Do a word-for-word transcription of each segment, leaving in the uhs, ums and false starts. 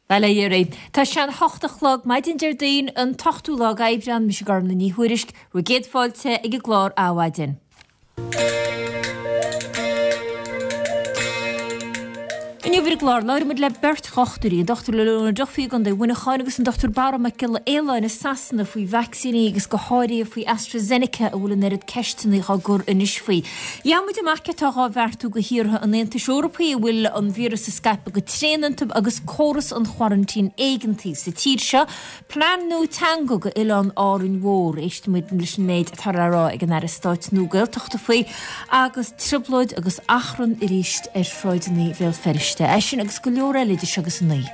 Bail ó Dhia oraibh. Tá sé an hocht a chlog maidin Déardaoin an t-ochtú lá d'Aibreán, mise Gormlaith Ní Thuairisg, bhur gcéad fáilte ag an gclár Adhmhaidin. Inniu ar an gclár, labhróidh muid le beirt dhochtúirí, an Dochtúir Leona Duffy i gContae Mhuineacháin agus an Dochtúir Barra Mac Giolla Fhaoláin i Sasana faoi vacsaíní agus go háirithe faoi AstraZeneca a bhfuil an oiread ceisteanna á gcur anois faoi. Gheobhaidh muid amach céard atá á bheartú do thíortha an Aontais Eorpaigh a bhfuil an víreas ag scaipeadh go tréan iontu agus córas an choraintín éigeantaigh sa tír seo. Plean nua teanga go Oileán Árainn Mhór. Éistfidh muid leis an méid atá le rá ag an Aire Stáit nua Gaeltachta faoi agus trioblóid agus achrann arís ar shráideanna Bhéal Feirste. É sin agus go leor eile idir seo agus a naoi.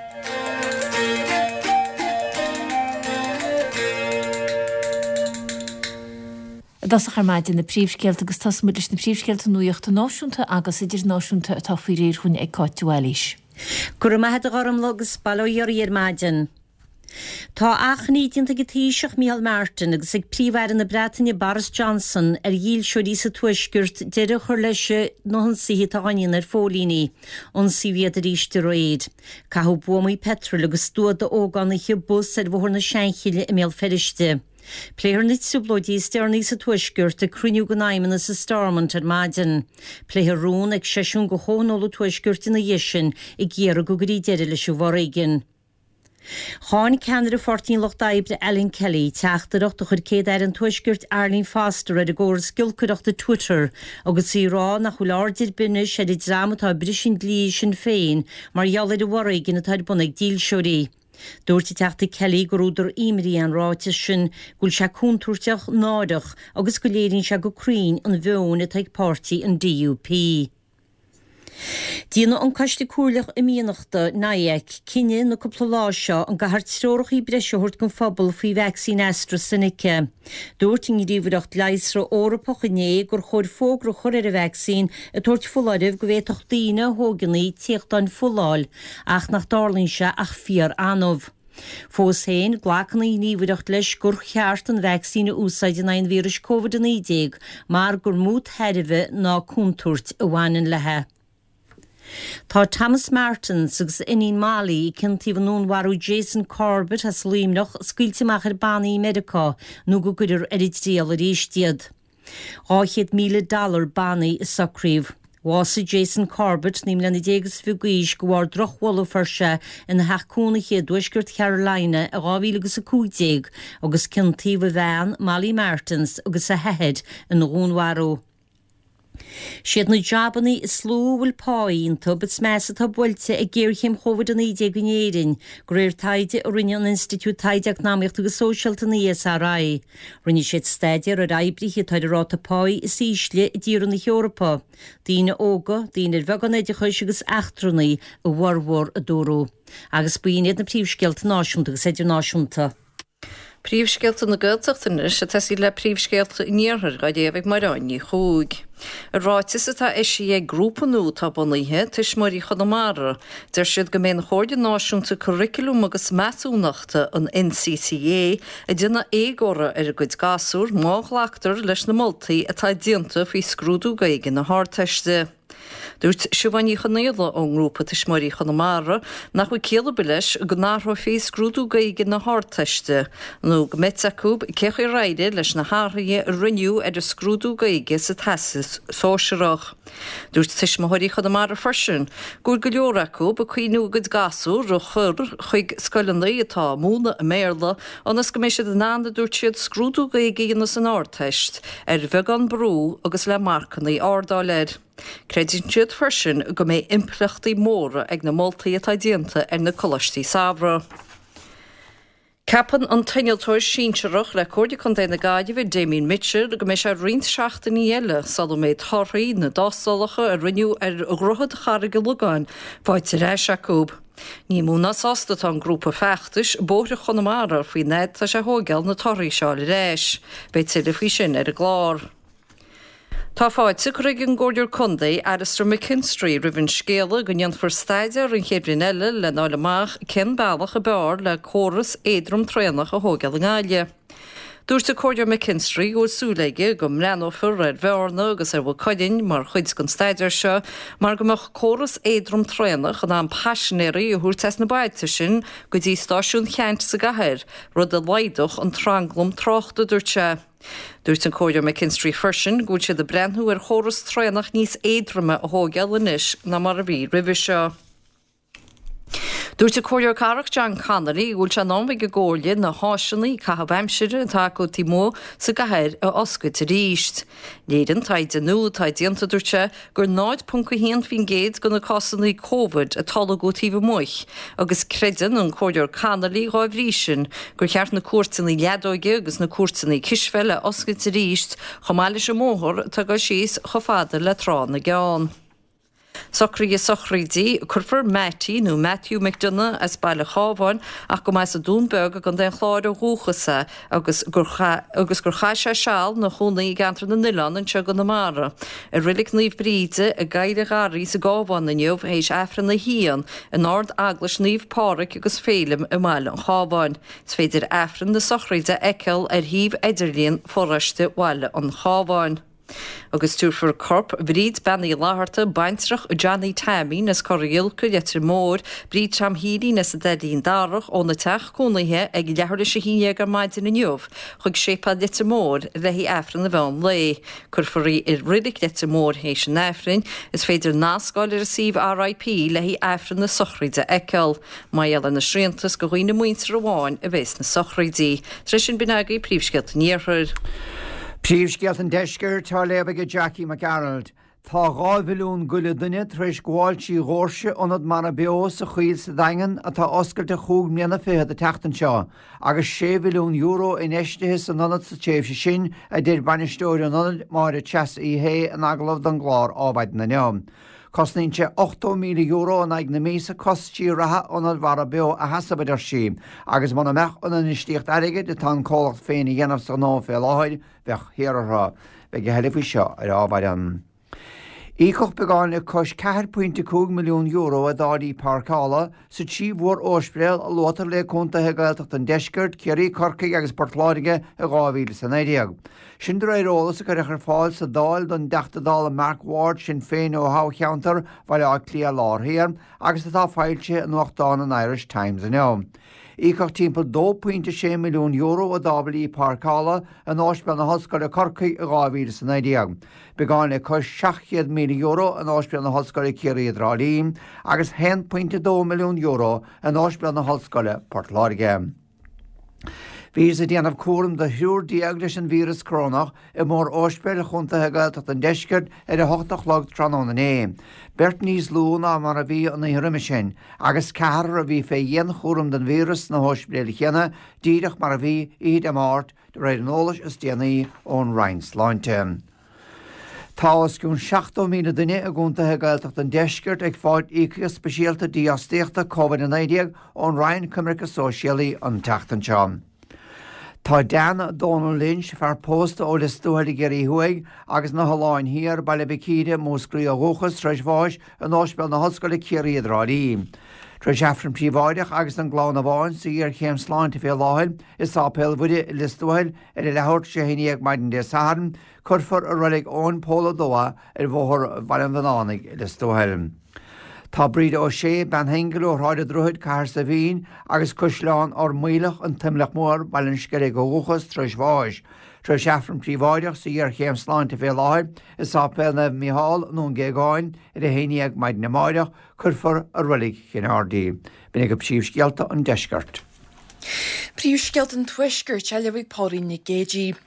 I dtosach ar maidin na príomhscéalta agus tosóidh muid leis na príomhscéalta nuachta náisiúnta agus idirnáisiúnta atá faoi réir chugainn ag Cáit de Bhailís. Go raibh maith agat a Ghormlaith agus bail ó Dhia oraibh ar maidin. Tá achainí déanta ag an Taoiseach Micheál Martin agus ag Príomh-Aire na Breataine Boris Johnson ar dhílseoirí sa Tuaisceart deireadh a chur leis na hionsaithe atá á ndéanamh ar phóilíní. Ionsaíodh iad arís aréir. Caitheadh buamaí peitril agus stua d'ógánaithe bus ar Bhóthar na Seanchille i mBéal Feirste. Pléifear na trioblóidí is deireanaí sa Tuaisceart ag cruinniú den Fheidhmeannas i Stormont ar maidin. Pléifear rún ag seisiún de Chomhthionól an Tuaiscirt ina dhiaidh sin ag iarraidh go gcuirfí deireadh leis an bhforéigean. Cháin ceannaire Pháirtí an Lucht Oibre Alan Kelly teachtaireacht a chuir Céad-Aire an Tuaiscirt Arlene Foster ar an gcóras giolcaireachta Twitter agus í ag rá nach bhfuil aird ar bith anois ar an dream atá ag briseadh an dlí i Sinn Féin mar gheall ar an bhforéigean atá ar bun ag dílseoirí. Dúirt an Teachta Kelly gur údar imní é an ráiteas sin, go bhfuil sé contúirteach, náireach agus go léiríonn sé go cruinn an mheon atá ag páirtí an DUP. Déanfaidh an Coiste Comhairleach Imdhíonachta, NIAC, cinneadh na cúpla lá seo an gcaithfear treoracha breise a thabhairt don phobal faoi vacsaín AstraZeneca. Dúirt an Ghníomhaireacht Leigheasra Eorpach inné gur chóir fógra a chur ar an vacsaín ag tabhairt foláirimh go bhféadfadh daoine a thógann í téachtáin fola a fháil ach nach dtarlaíonn sé ach fíor-annamh. Fós féin, glacann an Ghníomhaireacht leis gur cheart an vacsaín a úsáid in aghaidh an víris Covid a naoi déag mar gur mó tairbhe ná contúirt a bhaineann léi. Tá Thomas Martins agus a iníon Molly, a ciontaíodh i ndúnmharú Jason Corbett as Luimneach, scaoilte amach ar bannaí i Meiriceá nó go gcuirfear ar an dtriail arís iad. Dhá chéad míle dollar bannaí a socraíodh. Bhásaigh Jason Corbett, naoi mbliana déag is fiche d'aois, de bharr drochbholadh a fuair sé ina theach cónaithe i dtuaisceart Carolina i dhá mhíle agus a cúig déag agus ciontaíodh a bhean, Molly Martins, agus a hathair ina dhúnmharú. Siad na jabannaí is lú a bhfuil pá iontu is measa atá buailte ag géarchéim Chóivid a naoi déag in Éirinn, de réir taighde a rinne an Institiúid Taighde Eacnamaíochta agus Sóisialta, an ESRI. Rinne siad staidéar ar oibrithe atá ar an ráta páí is ísle i dtíortha na hEorpa, daoine óga, daoine ar bheagán oideachais agus eachtrannaigh a bhformhór, a dúradh. Agus b'in iad na príomhscéalta náisiúnta agus idirnáisiúnta. Príomhscéalta na Gaeltachta anois ag tosaí le príomhscéalta an Iarthair á léamh ag Mairéad Ní Chuaig. I ráiteas atá eisithe ag grúpa nua atá bunaithe, Tuismitheoirí Chonamara, deir siad go mbeidh an Chomhairle Náisiúnta Curaclaim agus Measúnachta, an NCCA, ag déanamh éagóra ar a gcuid gasúr má ghlactar leis na moltaí atá déanta faoi scrúdú Gaeilge na hArdteiste. Dúirt Siobhán Ní Chonaola ón ngrúpa Tuismitheoirí Chonamara nach bhfuil ciall ar bith leis go n-athrófaí scrúdú Gaeilge na hArdteiste nó go mbeidh fhios acu cé chaoi ar éirigh leis na hathruithe a rinneadh ar an scrúdú Gaeilge sa Teastas Sóisearach. Dúirt Tuismitheoirí Chonamara freisin go bhfuil go leor acu ag cuimhniú a gcuid gasúr a chur chuig scoileanna atá ag múineadh i mBéarla ionas go mbeidh siad in ann, a dúirt siad, scrúdú Gaeilge a dhéanamh san Ardteist ar bheagán brú agus le marcanna arda a fháil air. Creideann siad freisin go mbeidh impleachtaí móra ag na moltaí atá déanta ar na coláistí samhraidh. Ceapann an t-innealtóir sinsearach le Comhairle Contae na Gaillimhe, Damien Mitchell, go mbeidh sé roinnt seachtainí eile sula mbeidh torthaí na dtástálacha a rinneadh ar Dhroichead Charraig an Logáin faighte ar ais acu. Ní mó ná sásta atá an grúpa feachtais, Bóithre Chonamara, faoin fhad atá sé a thóigeáil na torthaí seo a fháil ar ais. Beidh tuilleadh faoi sin ar an gclár. Tá fáilte curtha ag an gComhairleoir Contae, Alastair McKinstry, roimh an scéala go ndéanfar staidéar an chéad bhliain eile lena fháil amach cén bealach ab fhearr le córas éadrom traenach a thóigeáil i nGaillimh. Dúirt an Comhairleoir McKinstry go bhfuil súil aige go mbreathnófar ar Bhearna agus ar Mhaigh Cuilinn mar chuid den staidéar seo mar go mbeadh córas éadrom traenach in ann paisinéirí a thabhairt as na bailte sin go dtí stáisiún Cheannt sa gcathair, rud a laghdódh an tranglam tráchta, dúirt sé. Dúirt an Comhairleoir McKinstry freisin go bhfuil siad ag breathnú ar chóras traenach níos éadroime a thógáil anois ná mar a bhí roimhe seo. Dúirt an Comhairleoir Cathrach John Connolly go bhfuil sé in am ag an gComhairle na háiseanna caitheamh aimsire atá acu taobh amuigh sa gcathair a oscailt arís. Léiríonn taighde nua atá déanta, dúirt sé, gur náid ponc a haon faoin gcéad de na cásanna Covid a tolgadh taobh amuigh agus creideann an Comhairleoir Connolly dhá bhrí sin gur cheart na cúirteanna leadóige agus na cúirteanna cispheile a oscailt arís chomh maith leis an mbóthar atá ag dul síos chomh fada le Trá na gCeann. Socruithe sochraide, Cuirfear Mattie nó Matthew McDonagh as Baile Chábháin ach go mba as an Dún Beag i gContae an Chláir ó dhúchas é agus gur agus gur chaith sé seal ina chónaí i gceantar na nOileán anseo i gConamara. I Reilig Naomh Bríde i gCoill an Gharraí sa gCábhán inniu théis Aifreann a haon in Ard Eaglais Naomh Pádraig agus Féilim i mBaile an Chábháin. Is féidir Aifreann na sochraide a fheiceáil ar shuíomh idirlíon Pharóiste Bhaile an Chábháin. Agus tabharfar corp Bhríd Bean Uí Fhlatharta, baintreach Johnny Taimín as Cora Giolca, Leitir Móir, Bríd Tom Healy as an Daidín Darach óna teach cónaithe ag leathuair théis a haon déag ar maidin inniu chuig Séipéal Leitir Móir le haghaidh Aifreann an mheán lae. Cuirfear í i Reilig Leitir Móir théis an Aifrinn. Is féidir nascáil ar an suíomh R I P le haghaidh Aifreann na sochraide a fheiceáil. Mar gheall ar na srianta is do dhaoine muinteartha amháin a bheas na sochraidí. Tar éis sin b'in agaibh príomhscéalta an Iarthair. Príomhscéalta an Deiscirt á léamh ag Jackie McGarrald. Tá dhá mhilliún go leith duine tar éis gabháil trí dhoirse ionad Mara Beo sa Choill sa Daingean atá oscailte chúig mbliana fichead an tseachtain seo, agus sé mhilliún euro infheistithe san ionad sa tréimhse sin, a deir bainisteoir an ionaid Máire Treasa Uí Shé in agallamh don gclár Adhmhaidin inniu. Cosnaíonn sé ochtó míle euro in aghaidh na míosa costais reatha ionad Mara Beo a sheasamh, a deir sí, agus mura mbeadh an infheistíocht airgid atá an comhlacht féin a dhéanamh sa ghnó fé láthair, bheadh thiar orthu. Beidh a thuilleadh faoi seo ar Adhmhaidin. Íocadh beagán le cois ceathair pointe cúig milliún euro i dtáillí páirceála sa trí mhór-ospidéal a luaitear le contaetha Gaeltacht an Deiscirt, Ciarraí, Corcaigh agus Port Láirge i dhá mhíle is a naoi déag. Sin de réir eolas a cuireadh ar fáil sa Dáil don dTeachta Dála Mark Ward Sinn Féin ó thoghcheantar Bhaile Átha Cliath Lár Thiar agus atá foilsithe i nuachtán an Irish Times inniu. Íocadh timpeall dó pointe sé milliún euro i dtáillí páirceála in Ospidéal na hOllscoile Corcaigh i dhá mhíle is a naoi déag. Beagán le cois seacht chéad míle euro in Ospidéal na hOllscoile Ciarraí i dTrá Lí agus haon pointe dó milliún euro in Ospidéal na hOllscoile Port Láirge. Bhíothas ag déanamh cúram do thriúr déag leis an víreas corónach i mór-ospidéil chontaetha Gaeltacht an Deiscirt ar a hocht a chlog tráthnóna inné. Beirt níos lú ná mar a bhí an oíche roimhe sin, agus ceathrar a bhí fé dhianchúram den víreas sna hóspidéil chéanna díreach mar a bhí oíche Dé Máirt de réir an eolais is déanaí ón Roinn Sláinte. Tá os cionn seachtó míle duine i gcontaetha Gaeltacht an Deiscirt ag fáil íocaíocht speisialta dífhostaíochta Covid a naoi déag ón Roinn Coimirce Sóisialaí an tseachtain seo. Tá Dan Donald Lynch, fear pósta ó Lios Tuathail i gCiarraí Thuaidh agus na hOileáin Thiar, Baile Mhic Íre, Múscraí ó dhúchas tar éis bháis in Ospidéal na hOllscoile Ciarraí i dTrá Lí. Tar éis Aifreann príobháideach agus an gclann amháin sa ghéarchéim sláinte fé láthair i Sáipéal Mhuire i Lios Tuathail ar a leathuair tar éis a haon déag maidin Dé Sathairn, cuirfear i reilig Eoin Pól a dó é ar bhóthar Bhaile an Bhannánaigh i Lios Tuathail. Tá Bríd Ó Sé, bean shingil ó Shráid an Droichid, Cathair Saibhín agus Caisleán Ard Maoileach an tImleach Mór, Baile an Sceilg ó dhúchas tar éis bháis. Tar éis Aifreann príobháideach sa ghéarchéim sláinte fé láthair i Sáipéal Naomh Mícheál i nDún Géagáin ar a haon déag maidin amárach, cuirfear i reilig Chinn Aird í. B'in agaibh príomhscéalta an Deiscirt. Príomhscéalta an Tuaiscirt á léamh ag Póilín Nic Géadaigh.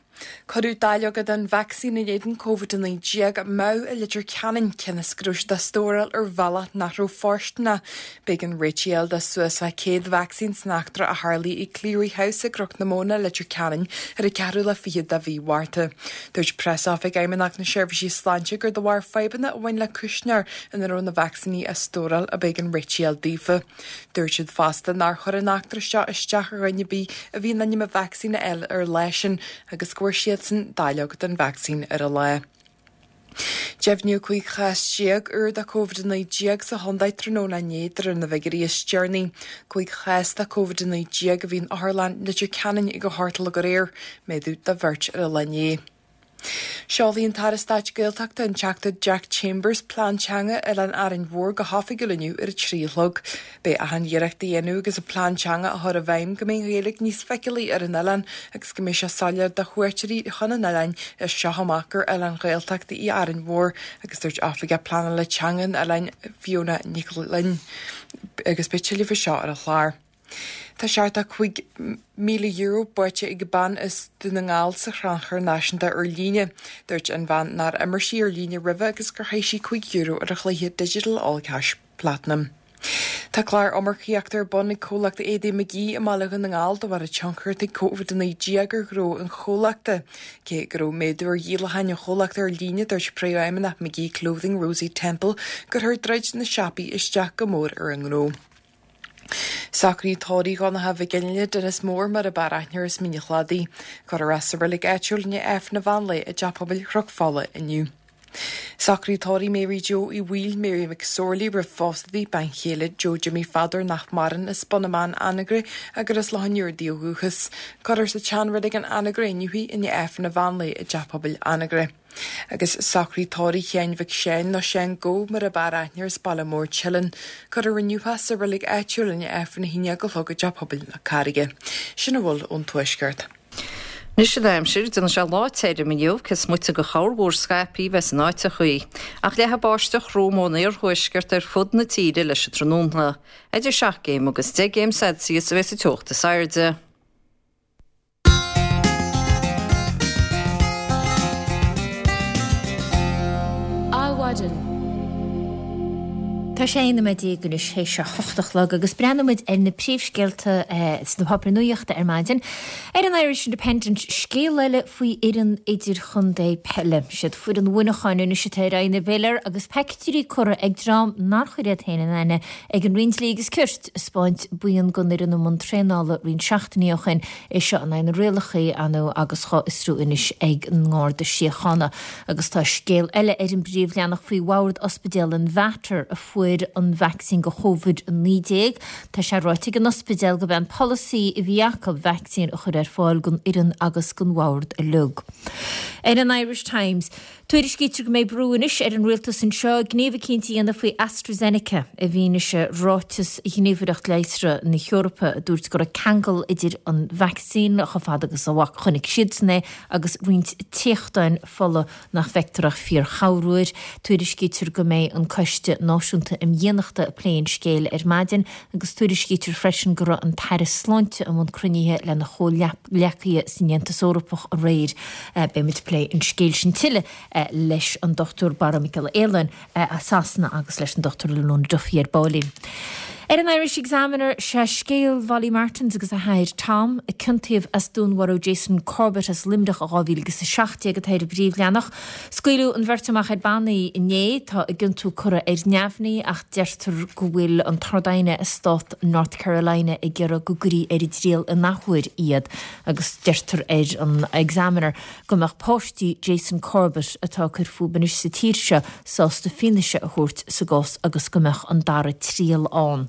Cuireadh dáileoga den vacsaín in éadan Covid a naoi déag amú i Leitir Ceanainn cionn is go raibh siad á stóráil ar bhealach nach raibh fóirsteanach. B'éigean réitigh a fháil do suas le céad vacsaín san eachtra a tharlaigh i Cleary House i gCnoc na Móna, Leitir Ceanainn ar an ceathrú lá fichead de mhí Mhárta. Dúirt Preasoifig Fheidhmeannacht na Seirbhísí Sláinte gur de bharr fadhbanna a bhain le cuisneoir ina raibh na vacsaíní á stóráil ab éigean réitigh a fháil daofa. Dúirt siad fosta nár chuir an eachtra seo isteach ar dhuine ar bith a bhí in ainm a vacsaín a fháil ar lá sin agus go bhfuair siadsan dáileog den vacsaín ar an lá. Deimhníodh cúig chás déag úr de Covid a naoi déag sa chontae tráthnóna inné de réir na bhfigiúirí is deireanaí. Cúig chás de Covid a naoi déag a bhí in Otharlann Leitir Ceanainn ag a hocht a chlog aréir, méadú de bheirt ar an lá inné. Seolfaidh an tAire Stáit Gaeltachta an Teachta Jack Chambers plean teanga Oileán Árainn Mhór go hoifigiúil inniu ar a trí a chlog. Beidh achan iarracht á dhéanamh agus an plean teanga á chur i bhfeidhm go mbeidh an Ghaeilge níos feiceálaí ar an oileán agus go mbeidh sé soiléir do chuairteoirí chun an oileáin as seo amach gur oileán Ghaeltachta í Árainn Mhór agus dúirt Oifigeach Pleanála Teanga an oileáin Fiona Nic Fhloinn agus beidh tuilleadh faoi seo ar an chlár. Tá seachtó cúig míle euro buaite ag bean as Dún na nGall sa chrannchur náisiúnta ar líne. Dúirt an bhean nár imir sí ar líne roimhe agus gur chaith sí cúig euro ar a chluiche Digital All Cash Platinum. Tá clár iomarcaíochta ar bun ag comhlacht éadaí McGee i mBaile Dhún na nGall de bharr an tionchar atá ag Covid a naoi déag ar ghnó an chomhlachta. Cé go raibh méadú ar dhíolacháin an chomhlachta ar líne dúirt Príomhfheidhmeannach McGee Clothing Rosie Temple gur chuir druid na siopaí isteach go mór ar an ngnó. Socraí tórraimh Dhonncha Mhic Fhionnghaile Dennis Mór mar ab fhearr aithne air as Mín an Chladaigh. Cuirfear é sa reilig áitiúil i ndiaidh Aifreann an mheán lae i dTeach Pobail Chnoc Fola inniu. Socraí tórraimh Mary Joe Uí Bhaoill Mary McSorley roimh phósadh di, bean chéile Joe Jimmy Pheadair nach maireann as Bun na mBan Anagaire agus as Loch an Iúir di ó dhúchas. Cuirfear sa tseanreilig in Anagaire inniu í i ndiaidh Aifreann an mheán lae i dTeach Pobail Anagaire. Agus socraí tórraimh Sheáin Mhic Seáin nó Seán Gó mar ab fhearr aithne air as Baile Mór Teileann. Cuirfear inniu é sa reilig áitiúil i ndiaidh Aifreann a haon déag a chlog i dTeach Pobail na Carraige. Sin a bhfuil ón Tuaisceart. Anois an aimsir, déanfaidh sé lá tirim inniu, cé is moite de chorrmhúr scaipthe a bheas in áiteachaí. Ach leathfaidh báisteach throm ón iarthuaisceart ar fud na tíre leis an tráthnóna. Idir seacht gcéim agus deich gcéim Celsius a bheas an teocht is airde. Adhmhaidin. Tá sé aon nóiméad déag anois théis a hocht a chlog agus breathnóidh muid ar na príomhscéalta sna páipéir nuachta ar maidin. Ar an Irish Independent, scéal eile faoi fhoireann idirchontae peile. Siad foireann Mhuineacháin anois atá ar aghaidh na bpiléar agus pictiúirí curtha ag dream nár chuir iad féin in aithne ag an Roinn Dlí agus Cirt ag 'spáint buíon den fhoireann i mbun traenála roinnt seachtainí ó shin. É seo in aghaidh na rialacha ar ndóigh agus dhá fhiosrú anois ag an nGarda Síochána. Agus tá scéal eile ar an bpríomhleathanach faoi bhord ospidéal an Mhater a fuair an vacsaín do Covid a naoi déag. Tá sé ráite ag an ospidéal gurb é an polasaí a bhí acu vacsaín a chur ar fáil don fhoireann agus don bhord uilig. Ar an Irish Times, tuairiscítear go mbeidh brú anois ar an rialtas anseo gníomh eicínt a dhéanamh faoi AstraZeneca i bhfianaise ráiteas Ghníomhaireacht Leigheasra na hEorpa a dúirt go raibh ceangal idir an vacsaín chomh fada agus a chonaic siadsan é agus roinnt téachtáin fola nach bhfeictear ach fíor-chorruair. Tuairiscítear go mbeidh an Coiste Náisiúnta um Dhaonnachta ag plé an scéil ar maidin agus tuairiscítear freisin go raibh an tAire Sláinte i mbun cruinnithe lena chomhghleacaithe san Aontas Eorpach aréir. Beidh muid ag plé an scéil sin tuilleadh leis an Dochtúir Barra Mac Giolla Fhaoláin as Sasana agus leis an Dochtúir Leona Duffy ar baillín. Ar an Irish Examiner sé scéal Mholly Martins agus a hathair Tom, a ciontaíodh as dúnmharú Jason Corbett as Luimneach i dhá mhíle agus a seacht déag atá ar an bpríomhleathanach. Scaoileadh an bheirt amach ar bannaí inné, tá a gciontú curtha ar neamhní ach deirtear go bhfuil an tArd-Aighne i stát North Carolina ag iarraidh go gcuirfí ar an dtriail in athuair iad agus deirtear ar an Examiner go mbeadh páistí Jason Corbett atá ag cur fúthu anois sa tír seo sásta fianaise a thabhairt sa gcás agus go mbeadh an dara triail ann.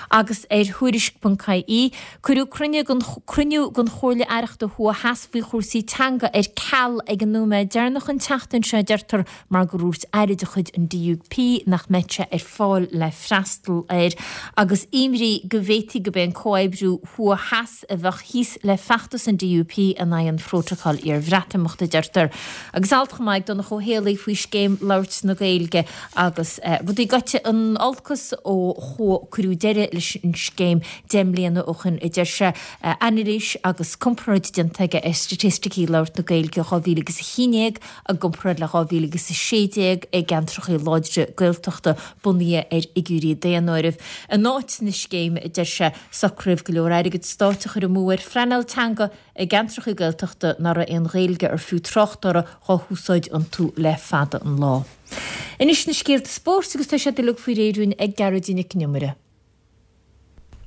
Agus ar Thuairisc ponc ie, cuireadh cruinniú den cruinniú den Chomhairle Aireachta Thuaidh Theas faoi chúrsaí teanga ar ceal ag an nóiméad deireanach an tseachtain seo, deirtear, mar gur dhúirt aire de chuid an D U P nach mbeadh sé ar fáil le freastal air, agus imní go bhféadfaí gurb é an comhoibriú thuaidh theas a bheadh thíos le feachtas an D U P in aghaidh an Phrótacail iarBhreatimeachta, deirtear. Agus alt chomh maith ag Donncha Ó Héalaí faoi scéim labhairt na Gaeilge agus rudaí gaibhte in olcas ó cuireadh deireadh leis an scéim deich mbliana ó shin, a deir sé. Anailís agus comparáid déanta aige ar staitisticí labhairt na Gaeilge dhá mhíle agus a haon déag i gcomparáid le dhá mhíle agus a sé déag i gceantracha láidre Gaeltachta bunaithe ar fhigiúirí daonáirimh. In áit na scéime, a deir sé, socraíodh go leor airgead stáit a chur amú ar phleanáil teanga i gceantracha Gaeltachta nach raibh aon Ghaeilge ar fiú trácht uirthi dhá húsáid iontu le fada an lá. Anois na scéalta spóirt agus tá siad uilig faoi réir dúinn ag Gearóidín Nic an Iomaire.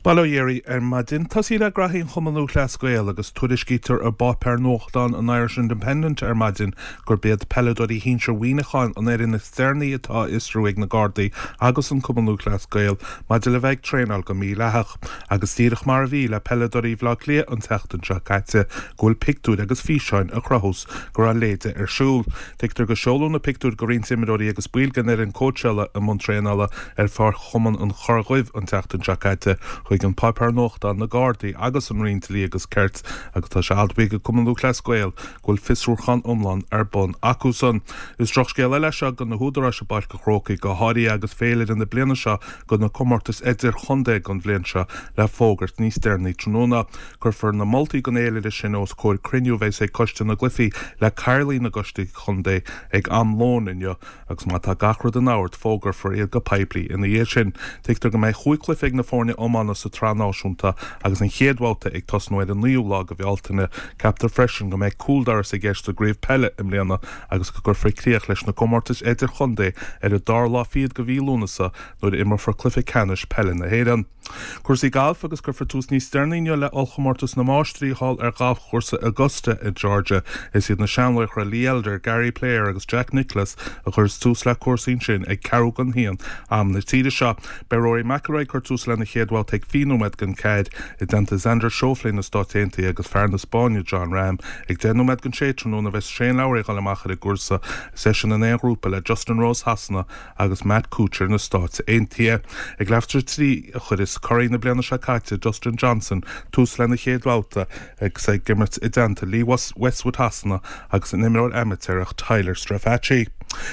Bail ó Dhia oraibh ar maidin. Tosaí le graithí an Chumann Lúthchleas Gael agus tuairiscítear i bpáipéar nuachtáin an Irish Independent ar maidin gurb iad peileadóirí shinsir Mhuineacháin an fhoireann is deireanaí atá á fhiosrú ag na Gardaí agus an Cumann Lúthchleas Gael maidir le bheith ag traenáil go mídhleathach. Agus díreach mar a bhí le peileadóirí Bhaile Átha Cliath an tseachtain seo caite go bhfuil pictiúir agus físeáin a chruthós go raibh léide ar siúl. Tuigtear gur seoladh na pictiúir go roinnt imreoirí agus baill den fhoireann cóitseála i mbun traenála ar pháirc Chumann an Chorra Dhuibh an tseachtain seo caite chuig an páipéar nuachtáin, na Gardaí agus an Roinn Dlí agus Cirt agus tá sé admhaithe ag Cumann Lúthchleas Gael go bhfuil fiosrúchán iomlán ar bun acusan. Is drochscéal eile seo do na húdaráis i bPáirc an Chrócaigh go háirithe agus féilire na bliana seo do na comórtais idirchontae don bhliain seo le fógairt níos deireanaí tráthnóna. Cuirfear na moltaí don fhéilire sin os comhair cruinniú a bheas ag Coiste na gCluichí le cathaoirligh na gcoistí contae ag am lóin inniu agus má tá gach rud in ord fógrafar iad go poiblí ina dhiaidh sin. Tuigtear go mbeidh chúig chluiche ag na foirne iomána sa tsraith náisiúnta agus an chéad bhabhta ag tosnú ar an naoú lá de Bhealtaine. Ceaptar freisin go mbeidh cúldoras i gceist sa gcraobh peile i mbliana agus go gcuirfear críoch leis na comórtais idirchontae ar an dara lá fichead de mhí Lúnasa nuair a imreofar cluiche ceannais peile na hÉireann. Cúrsaí gailf agus cuirfear tús níos deireanaí inniu le Ollchomórtas na Máistrí thall ar ghalfchúrsa Augusta i Georgia. Is iad na seanlaochra Lee Elder, Gary Player agus Jack Nicklaus a chuirfeas tús le cúrsaí ansin ag ceathrú don haon am na tíre seo. Beidh Rory McIlroy ag cur tús lena chéad bhabhta ag fiche nóiméad don ceathair i dteannta Xander Schauffele na Stáit Aontaithe agus fear na Spáinne Jon Rahm. Ag deich nóiméad don sé tráthnóna bheas Shane Lowry ag dul amach ar an gcúrsa, is eisean in aon ghrúpa le Justin Rose Shasana agus Matt Kuchar na Stáit Aontaithe. Ag leathuair tar éis a trí a chuirfeas curaidh na bliana seo caite Dustin Johnson tús lena chéad bhabhta agus é ag imirt i dteannta Lee Westwood Shasana agus an imreoir amaitéarach Tyler Strafaci.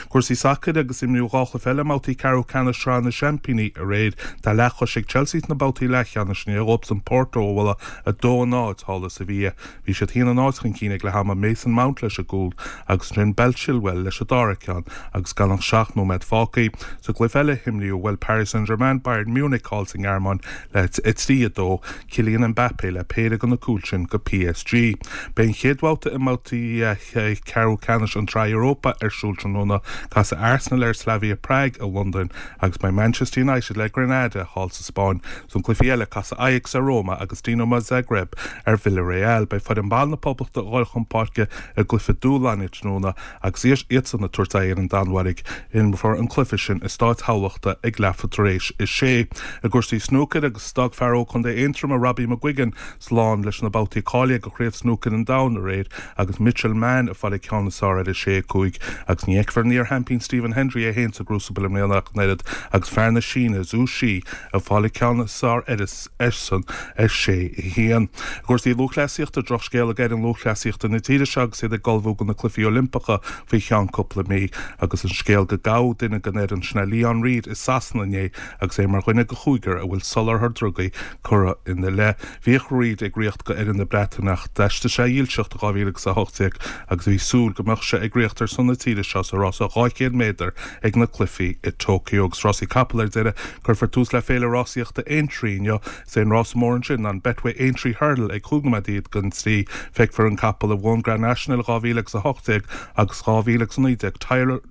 Cúrsaí sacair agus imríodh dhá chluiche eile i mbabhtaí ceathrú ceannais Shraith na Seaimpíní aréir. Tá leathchois ag Chelsea sna babhtaí leathcheannais i ndiaidh dóibhsan Porto a bhualadh a dó a náid thall i Sevilla. Bhí siad a haon a náid chun cinn ag leath ama, Mason Mount leis an gcúl agus ansin Ben Chilwell leis an dara ceann agus gan ach seacht nóiméad fágtha. Sa gcluiche eile a imríodh bhuail Paris Saint-Germain Bayern Munich thall sa nGearmáin le a trí a dó, Kylian Mbappé le péire de na cúil sin do PSG. Beidh an chéad bhabhta i mbabhtaí ceathrú ceannais an tSraith Europa ar siúl tráthnóna. Casfaidh Arsenal ar Slavia Prague i Londain agus beidh Manchester United le Granada thall sa Spáinn. Sna cluichí eile casfaidh Ajax ar Roma agus Dinamo Zagreb ar Villarreal. Beidh foireann ban na Poblachta ag dul chun páirce i gcluiche dúshláin tráthnóna agus iadsan ag tabhairt aghaidh ar an Danmhairg. Imreofar an cluiche sin i Stáid Thamhlachta ag leathuair tar éis a sé. I gcúrsaí snúcair agus d'fhág fear ó Chontae Aontroma Robbie McGuigan slán leis na babhtaí cáilithe do Chraobh Snúcair an Domhain aréir agus Mitchell Mann ag fáil an ceann is fearr ar a sé a cúig agus ní fheicfear an iar-sheaimpín Stephen Hendry é féin sa gcrúsabal i mbliana ach an oiread agus fear na Síne Zhu Xi ag fáil an ceann is fearr airsean ar sé a haon. I gcúrsaí lúthchleasaíochta, drochscéal ag fhoireann lúthchleasaíochta na tíre seo agus iad ag ullmhú do na Cluichí Oilimpeacha faoi cheann cúpla mí agus an scéal go gabhadh duine den fhoireann sin Leon Reid i Sasana inné agus é mar dhuine de chúigear a bhfuil soláthar drugaí curtha ina leith. Bhíodh Reid ag ritheacht do fhoireann na Breataine ach d'fheisigh sé a dhílseacht i dhá mhíle agus a hocht déag agus bhí súil go mbeadh sé ag ritheacht ar son na tíre seo sa rása dhá chéad méadar ag na Cluichí i Tokyo. Agus rásaí capall ar deireadh, cuirfear tús le Féile Rásaíochta Aintree inniu. Is é an rása mór ansin ná an Betway Aintree Hurdle ag cúig nóiméad don trí. Feicfear an capall a bhuaigh an Grand National dhá mhíle agus a hocht déag agus dhá mhíle agus a naoi déag,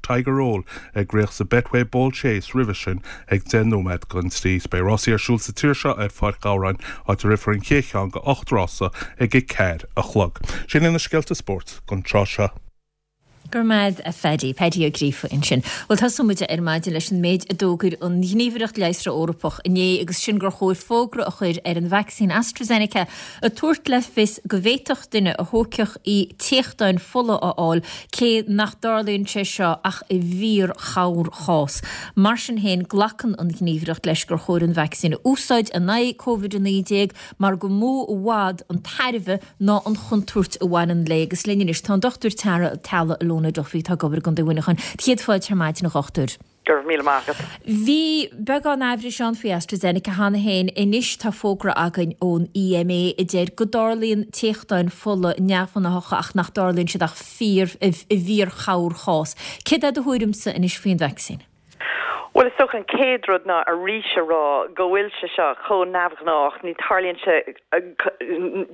Tiger Roll, ag ritheacht sa Betway Bold Chase roimhe sin ag deich nóiméad don trí. Beidh rásaí ar siúl sa tír seo ar Pháirc Ghabhráin, áit a rithfear an chéad cheann de ocht rása ag a ceathair a chlog. Sin iad na scéalta spóirt don tráth seo. Go raibh maith a Phaddy, Paddy Ó Gríofa ansin. Bhuel tosóidh muid ar maidin leis an méid a d'fhógair an Ghníomhaireacht Leigheasra Eorpach inné agus sin gur chóir fógra a chur ar an vacsaín AstraZeneca ag tabhairt le fios go bhféadfadh duine a thógfadh í téachtáin fola a fháil cé nach dtarlaíonn sé seo ach i bhfíor-chorrchás. Mar sin féin glacann an Ghníomhaireacht leis gur chóir an vacsaín a úsáid in aghaidh Covid a naoi déag mar gur mó i bhfad an tairbhe ná an chontúirt a bhaineann léi agus linn anois tá an Dochtúir Tara Teaghlaigh Ilona Duffy atá ag obair i gContae Mhuineacháin. Céad fáilte ar maidin a dhochtúir. Go raibh míle maith agat. Bhí beagán aimhris ann faoi AstraZeneca cheana féin. Anois tá fógra againn ón E M A a deir go dtarlaíonn téachtáin fola neamhghnáthacha ach nach dtarlaíonn siad ach fíor i bhfíor-chorrchás. Céard é do thuairimse anois faoin vacsaín? Well is dócha an chéad rud ná arís a rá go bhfuil sé seo chomh neamhghnách ní tarlaíonn sé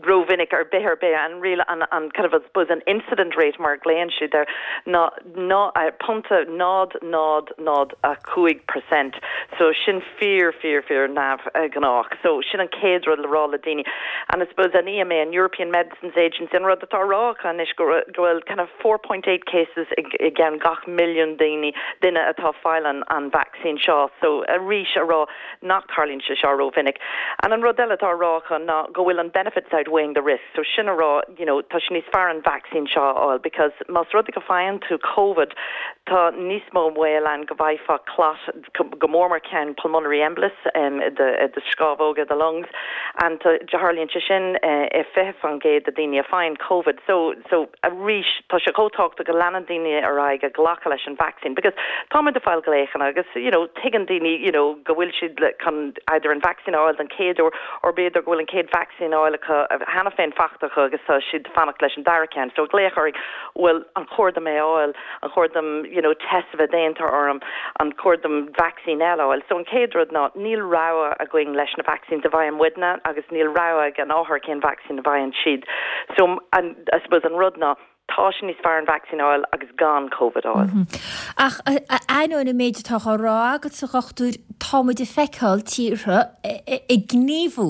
rómhinic ar bith ar bith an real an an kind of suppose an incident rate mar glaonn siad air ná ná pointe náid náid náid a cúig percent so sin fíor fíor fíor neamhghnách so sin an chéad rud le rá le daoine and I suppose an EMA an European Medicines Agency an rud atá rá anois go bhfuil kind of four point eight cases i gceann gach milliún daoine duine atá fáil an an vaccine seo so arís a rá nach tarlaíonn sé seo rómhinic. And an rud eile atá rá chun ná go bhfuil an benefits outweighing the risk, so sin a rá you know, tá sé níos fearr an vaccine seo a fháil because más rud é go bhfaigheann tú COVID tá níos mó baol ann go bhfaighfeá clot go mór mór ceann pulmonary embolus um, de de scamhóga the lungs and tarlaíonn sé sin uh, i fiche faoin gcéad de daoine a fhaigheann COVID so so arís tá sé chomh tábhachtach go leanann daoine ar aghaidh ag glacadh leis an vaccine because táimid ag fáil glaochanna agus you know tuigeann daoine you know go bhfuil siad chun either an vaccine a fháil den chéad uair or b'fhéidir go bhfuil an chéad vaccine a fháil acu cheana féin faighte acu agus tá siad fanacht leis an dara ceann so glaoch orainn well an chóir dom é a fháil an chóir dom you know test a bheith déanta orm an chóir dom vaccine eile a fháil so an chéad rud ná níl rogha againn leis na vaccines a bhfaigheann muidne agus níl rogha ag an othar cén vaccine a bhfaigheann siad so an I suppose an rud ná tá sé níos fearr an vaccine a fháil agus gan COVID a fháil. Mm -hmm. Ach ainneoin an méid atá á rá agat a dhochtúir táimid ag feiceáil tíortha ag gníomhú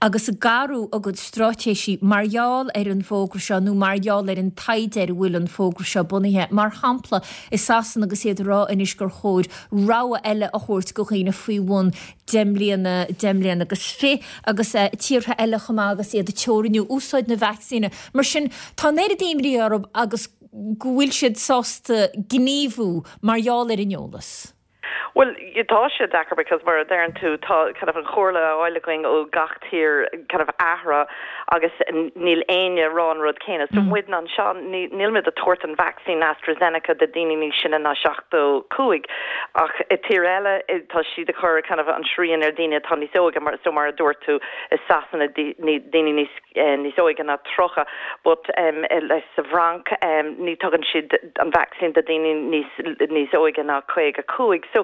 agus ag athrú a gcuid straitéisí mar gheall ar an bhfógra seo nó mar gheall ar an taighde ar a bhfuil an fógra seo bunaithe. Mar shampla i Sasana agus iad ag rá anois gur chóir rogha eile a thabhairt do dhaoine faoi bhun deich mbliana deich mbliana agus fiche agus uh, tíortha eile chomh maith agus iad ag teorannú úsáid na vacsaíne. Mar sin tá an oiread imní orthu agus go bhfuil siad sásta gníomhú mar gheall ar an eolas. Well tá sé deacair because mar a deireann tú tá kind of an chomhairle á fháil againn ó gach tír kind of athrú agus níl éinne ag rá an rud céanna. So mm. muid anseo níl muid ag tabhairt an vaccine AstraZeneca do daoine níos sine ná seachtó cúig ach i tír eile tá siad ag cur kind of an srian ar daoine atá níos óige mar so mar a dúirt tú i Sasana daoine níos eh, níos óige ná tríocha, but um, leis sa bhFrainc um, ní tugann siad an vaccine do daoine níos níos óige ná caoga cúig. So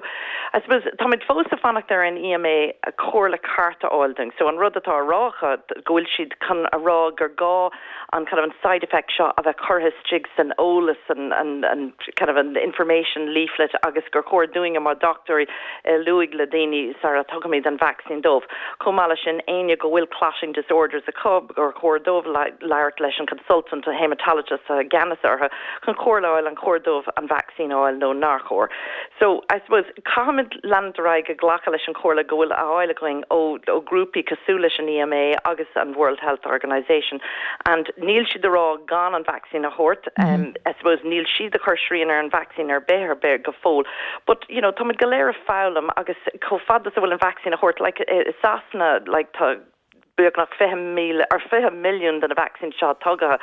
I suppose táimid fós ag fanacht ar an EMA a comhairle ceart a fháil dúinn. So an rud atá rá go bhfuil siad chun a rá gur gá an kind of an side effect seo a bheith curtha isteach san eolas an, an, an kind of an information leaflet agus gur chóir dúinn mar dochtúirí eh, lua le daoine sara tugaimid an vaccine dóibh. Chomh maith leis sin éinne go bhfuil clotting disorders acu gur chóir dóibh labhairt leis an consultant a hematologist a gceannas orthu chun comhairle an chóir dóibh an vaccine a fháil nó nár chóir. So I suppose caithfimid leanúint ar aghaidh ag glacadh leis an chomhairle go bhfuil á fháil againn ó ó grúpaí cosúil leis an EMA agus an World Health Organization and níl siad ag rá gan an vaccine a thabhairt mm -hmm. um, I suppose níl siad ag cur srian ar an vaccine ar bith ar bith go fóill but you know táimid go léir ag foghlaim agus chomh fada is a bhfuil an vaccine a thabhairt like uh, Sasana like tá beagnach fiche míle ar fiche milliún de na vaccine seo tugtha.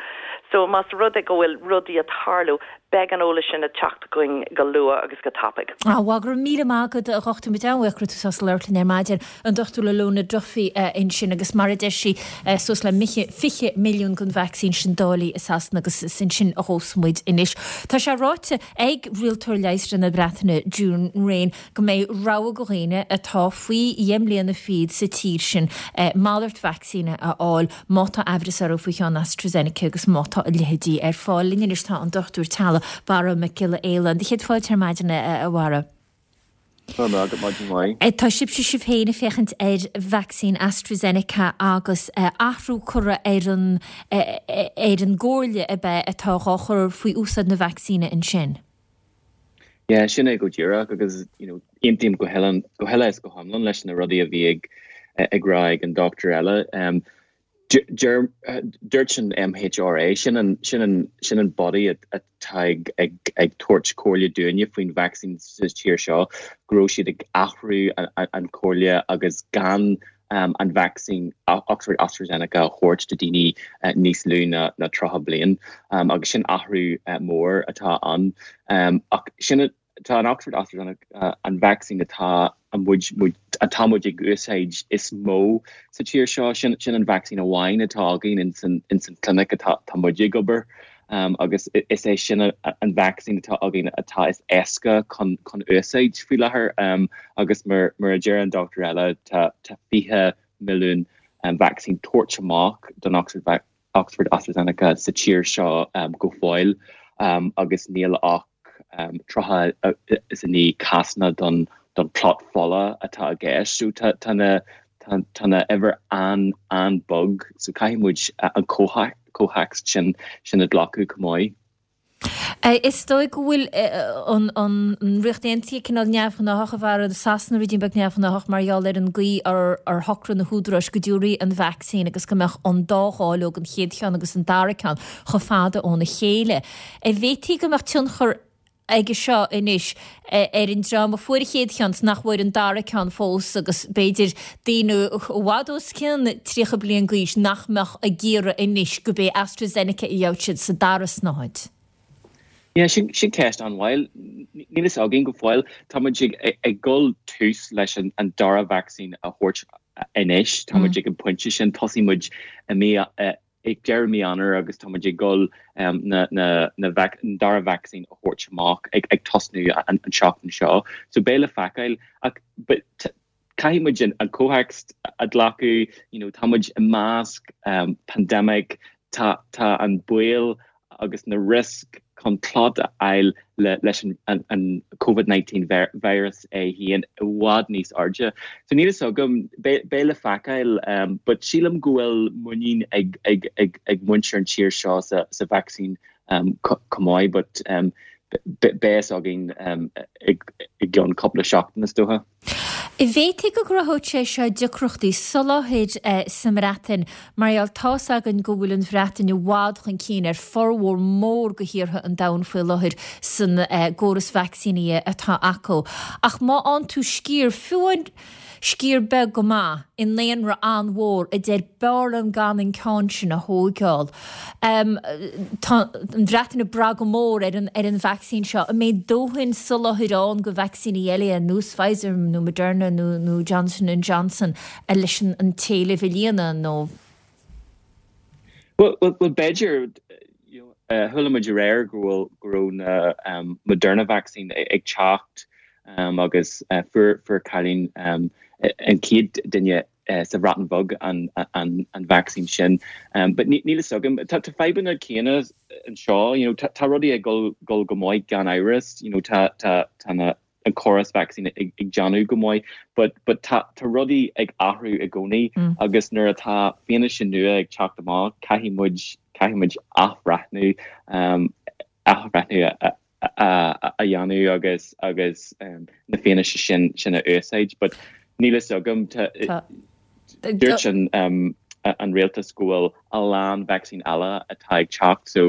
So más rud é go bhfuil rudaí ag tarlú beidh an eolas sin ag teacht chugainn go luath agus go tapaidh. Á go raibh míle maith agat a dhochtúir muid an-bhuíoch tú sásta labhairt linn ar maidin an dochtúir Lalona Duffy ansin agus mar a deir sí suas le fiche milliún den vacsaín sin dáilte i Sasana agus sin sin a thós muid anois. Tá sé ráite ag rialtóir leigheasra na Breataine June Rain go mbeidh rogha do dhaoine atá faoi dheich mbliana fichead sa tír sin malairt vacsaíne a fháil má tá amhras orthu faoi cheann AstraZeneca agus má tá a leithéidí ar fáil. Linn anois tá an dochtúir teaghlaigh Barra Mac Giolla Éile. Céad fáilte ar maidin a Bharra. Tá sibhse sibh féin ag féachaint ar vacsaín AstraZeneca agus athrú curtha ar an ar an gcomhairle a bheith atá á chur faoi úsáid na vacsaíne ansin. Yeah, sin é go díreach agus you know, aontaím go go huile is go hiomlán leis na rudaí a bhí ag ag rá ag an dochtúir eile. Um, Dúirt an MHRA sin an sin an sin an body atá ag ag ag tabhairt comhairle dúinne faoin vaccine sa tír seo go raibh siad ag athrú an chomhairle agus gan um, an vaccine Oxford AstraZeneca a thabhairt do daoine uh, níos lú na, na tríocha bliain um, agus sin athrú uh, mór atá ann um, ach sin tá an Oxford AstraZeneca uh, an vaccine atá an muid atá muid ag úsáid is mó sa tír seo sin sin an vaccine amháin atá againn in san in san clinic atá tá muid ag obair agus is é sin an vaccine atá againn atá is éasca chun chun úsáid faoi láthair agus mar mar a deir an dochtúir eile tá tá fiche milliún vacsaín tabhairt amach don Oxford Oxford AstraZeneca sa tír seo go fóill agus níl ach tríocha is a naoi cásanna don don clot fola atá i gceist. So tá tá na tá na uimhir an an-bheag so caithfidh muid an comhthéacs sin sin a ghlacadh chomh maith. Is dóigh go bhfuil an Ríocht Aontaithe cineál neamhghnách a bharra Sasana ruidín beag neamhghnách mar gheall ar an gcaoi ar ar shocraigh na húdaráis go dtabharfaí an vacsaín agus go mbeadh an dá dháileog an chéad cheann agus an dara ceann chomh fada óna chéile. An bhféadfaí go mbeadh tionchar aige seo anois ar an dream a fuair an chéad cheann nach bhfuair an dara ceann fós agus b'fhéidir daoine i bhfad os cionn tríocha bliain d'aois nach mbeadh ag iarraidh anois go bé AstraZeneca a gheobhadh siad sa dara snáthaid. Yeah, sin sin ceist an-mhaith. Níl fhios againn go fóill. Tá muid ag ag dul tús leis an an dara vacsaín a thabhairt anois. Tá muid ag an pointe sin tosaigh muid i mí ag deireadh mí Eanáir agus tá muid ag dul na na na an dara vacsaín a thabhairt amach ag ag tosnú an an seachtain seo. So beidh le feiceáil ach but caithfidh muid an an comhthéacs a ghlacadh, you know, tá muid i measc um, pandemic, tá tá an baol agus na risk chun clot a fháil le leis an an an COVID nineteen virus é féin i bhfad níos airde. So níl fhios agam, beidh le feiceáil um, but sílim go bhfuil muinín ag ag ag ag muintir an tír seo sa sa vacsaín um, chomh maith, but um, beidh fhios againn um, i gceann cúpla seachtain is dócha. An bhféadfaí go gcruthódh sé seo deacrachtaí soláthair sa mBreatain mar gheall tá's againn go bhfuil an Bhreatain i bhfad chun cinn ar formhór mór de thíortha an domhain faoi láthair san gcóras vacsaíní atá acu. Ach má fhaigheann tú sciar, fiú amháin sciar beag go maith i ndaonra an-mhór a deir b'fhearr liom gan an ceann sin a thóigeáil. Tá an Bhreatain ag brath go mór ar an ar an vacsaín seo. An mbeidh dóthain soláthair ann do vacsaíní eile ar nós Pfizer nó Moderna nó nó Johnson and Johnson leis an an t-éileamh a líonadh nó? Well, well, well b'fhéidir you know, uh, chuala muid aréir go bhfuil go raibh na um, Moderna vaccine ag teacht um, agus uh, fuair fuair cailín um, an chéad duine uh, sa Bhreatain Bheag an, an, an vaccine sin. Um, but níl fhios agam tá tá fadhbanna céanna anseo, you know, tá, tá rudaí ag gul, gul go maith gan amhras, you know, tá, tá, tá na an córas vaccine ag, ag déanamh go maith, but, but tá, tá rudaí ag athrú i gcónaí mm. agus nuair atá fianaise nua ag teacht amach caithfidh muid caithfidh muid athbhreithniú um, athbhreithniú a, a, a dhéanamh agus agus um, na fianaise sin sin a úsáid, but níl fhios agam dúirt an um, an rialtas go bhfuil a lán vaccine eile atá ag teacht so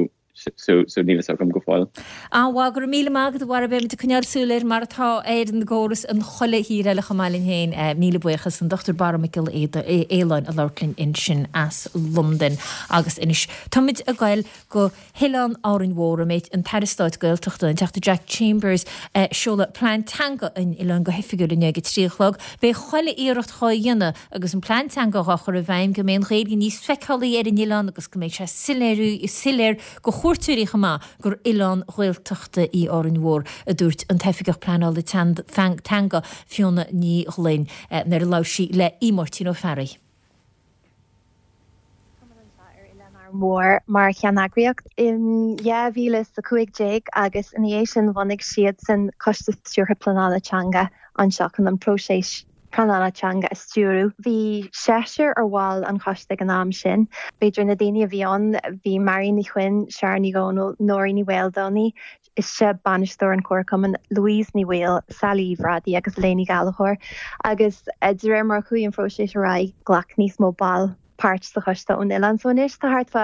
so so níl fhios agam go fóill. An-mhaith go raibh míle maith agat a Bharra beimid ag coinneáil súil air mar atá ar an gcóras in chuile thír eile chomh maith linn féin. Míle buíochas an Dochtúir Barra Mac Giolla Fhaoláin a labhairt linn ansin as Londain agus anois táimid ag goil go hOileán Árainn Mhór a mbeidh an tAire Stáit Gaeltachta, an Teachta Jack Chambers, ag seoladh plean teanga an oileáin go hoifigiúil inniu ag a trí a chlog. Beidh chuile iarracht dhá dhéanamh agus an plean teanga dhá chur i bhfeidhm go mbeidh an Ghaeilge níos feiceálaí ar an oileán agus go mbeidh sé soiléir go chuairteoirí chomh maith gur oileán Ghaeltachta í Árainn Mhór, a dúirt an tOifigeach Pleanála Teanga, Fiona Ní Ghlinn, nuair a labhair sí le Aodh Máirtín Ó Fearraigh. ar Oileán Árainn Mhór mar cheanneagraíocht in dhá mhíle is a cúig déag agus ina dhiaidh sin bhunaigh siadsan Coiste Stiúrtha Pleanála Teanga anseo chun an próiseas pleanála teanga a stiúradh. Bhí seisear ar bhaill an choiste ag an am sin. B'fhéidir na daoine a bhí ann, bhí Marion Ní Chuinn, Sharon Ní Dhomhnaill, Nóirín Ní Mhaoldomhnaigh, ise bainisteoir an Chomharchumainn, Louise Ní Bhaoill, Sally Uí Bhrádaigh agus Léiní Gallchóir. Agus de réir mar a chuaigh an phróiseas ar aghaidh, ghlac níos mó ball páirt sa choiste ón oileán. So anois tá thart fá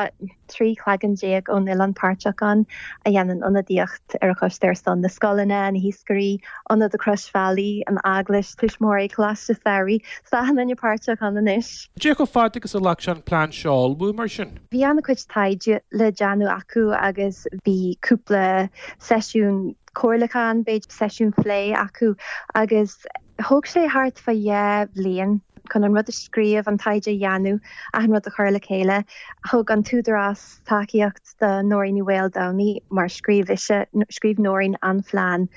trí chlaigeann déag ón oileán páirteach ann a dhéanann ionadaíocht ar an choiste ar son na scoileanna, na hiascairí, Ionad na Croisbhealaí, an Eaglais, tuismitheoirí, Coláiste Samhraidh. Tá achan duine páirteach ann anois. Cé chomh fada agus a ghlac sé an plean seo a ullmhú mar sin? Bhí an-chuid taighde le déanamh acu agus bhí cúpla seisiún comhairliúcháin, b'fhéidir seisiún plé acu agus thóg sé thart fá dhá bhliain. chun an rud a scríobh, an taighde a dhéanamh, achan rud a chur le chéile. Thug an tÚdarás tacaíocht do Nóirín Ní Mhaoldomhnaigh mar scríobh ise, scríobh Nóirín an phlean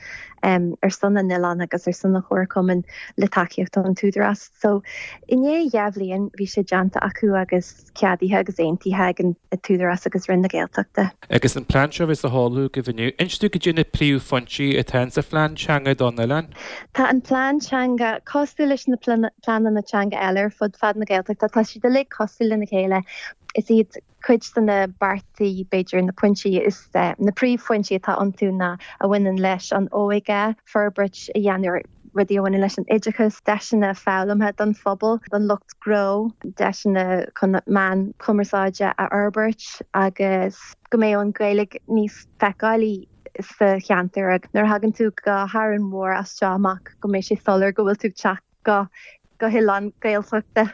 ar son an oileáin agus ar son an Chomharchumainn le tacaíocht ón tÚdarás. So i ndiaidh dhá bhliain bhí sé déanta acu agus ceadaithe agus aontaithe ag an tÚdarás agus Roinn na Gaeltachta. Agus an plean seo a bheas á sheoladh agaibh inniu, inis dúinn cad é na príomhphointí atá insa phlean teanga don oileán. Tá an plean teanga cosúil leis na pleananna teanga eile ar fud fad na Gaeltachta, tá siad uilig cosúil lena chéile. Is iad cuid de na beartaí, b'fhéidir, na pointí is na príomhphointí atá iontu ná a bhaineann leis an óige, forbairt a dhéanamh ar rudaí a bhaineann leis an oideachas, deiseanna foghlamtha don phobal, don lucht gnó, deiseanna chun meáin chumarsáide a fhorbairt agus go mbeadh an Ghaeilge níos feiceálaí sa cheantar agus nuair a thagann tú go hÁrainn Mhór as seo amach go mbeidh sé soiléir go bhfuil tú ag teacht go go hoileán Gaeltachta.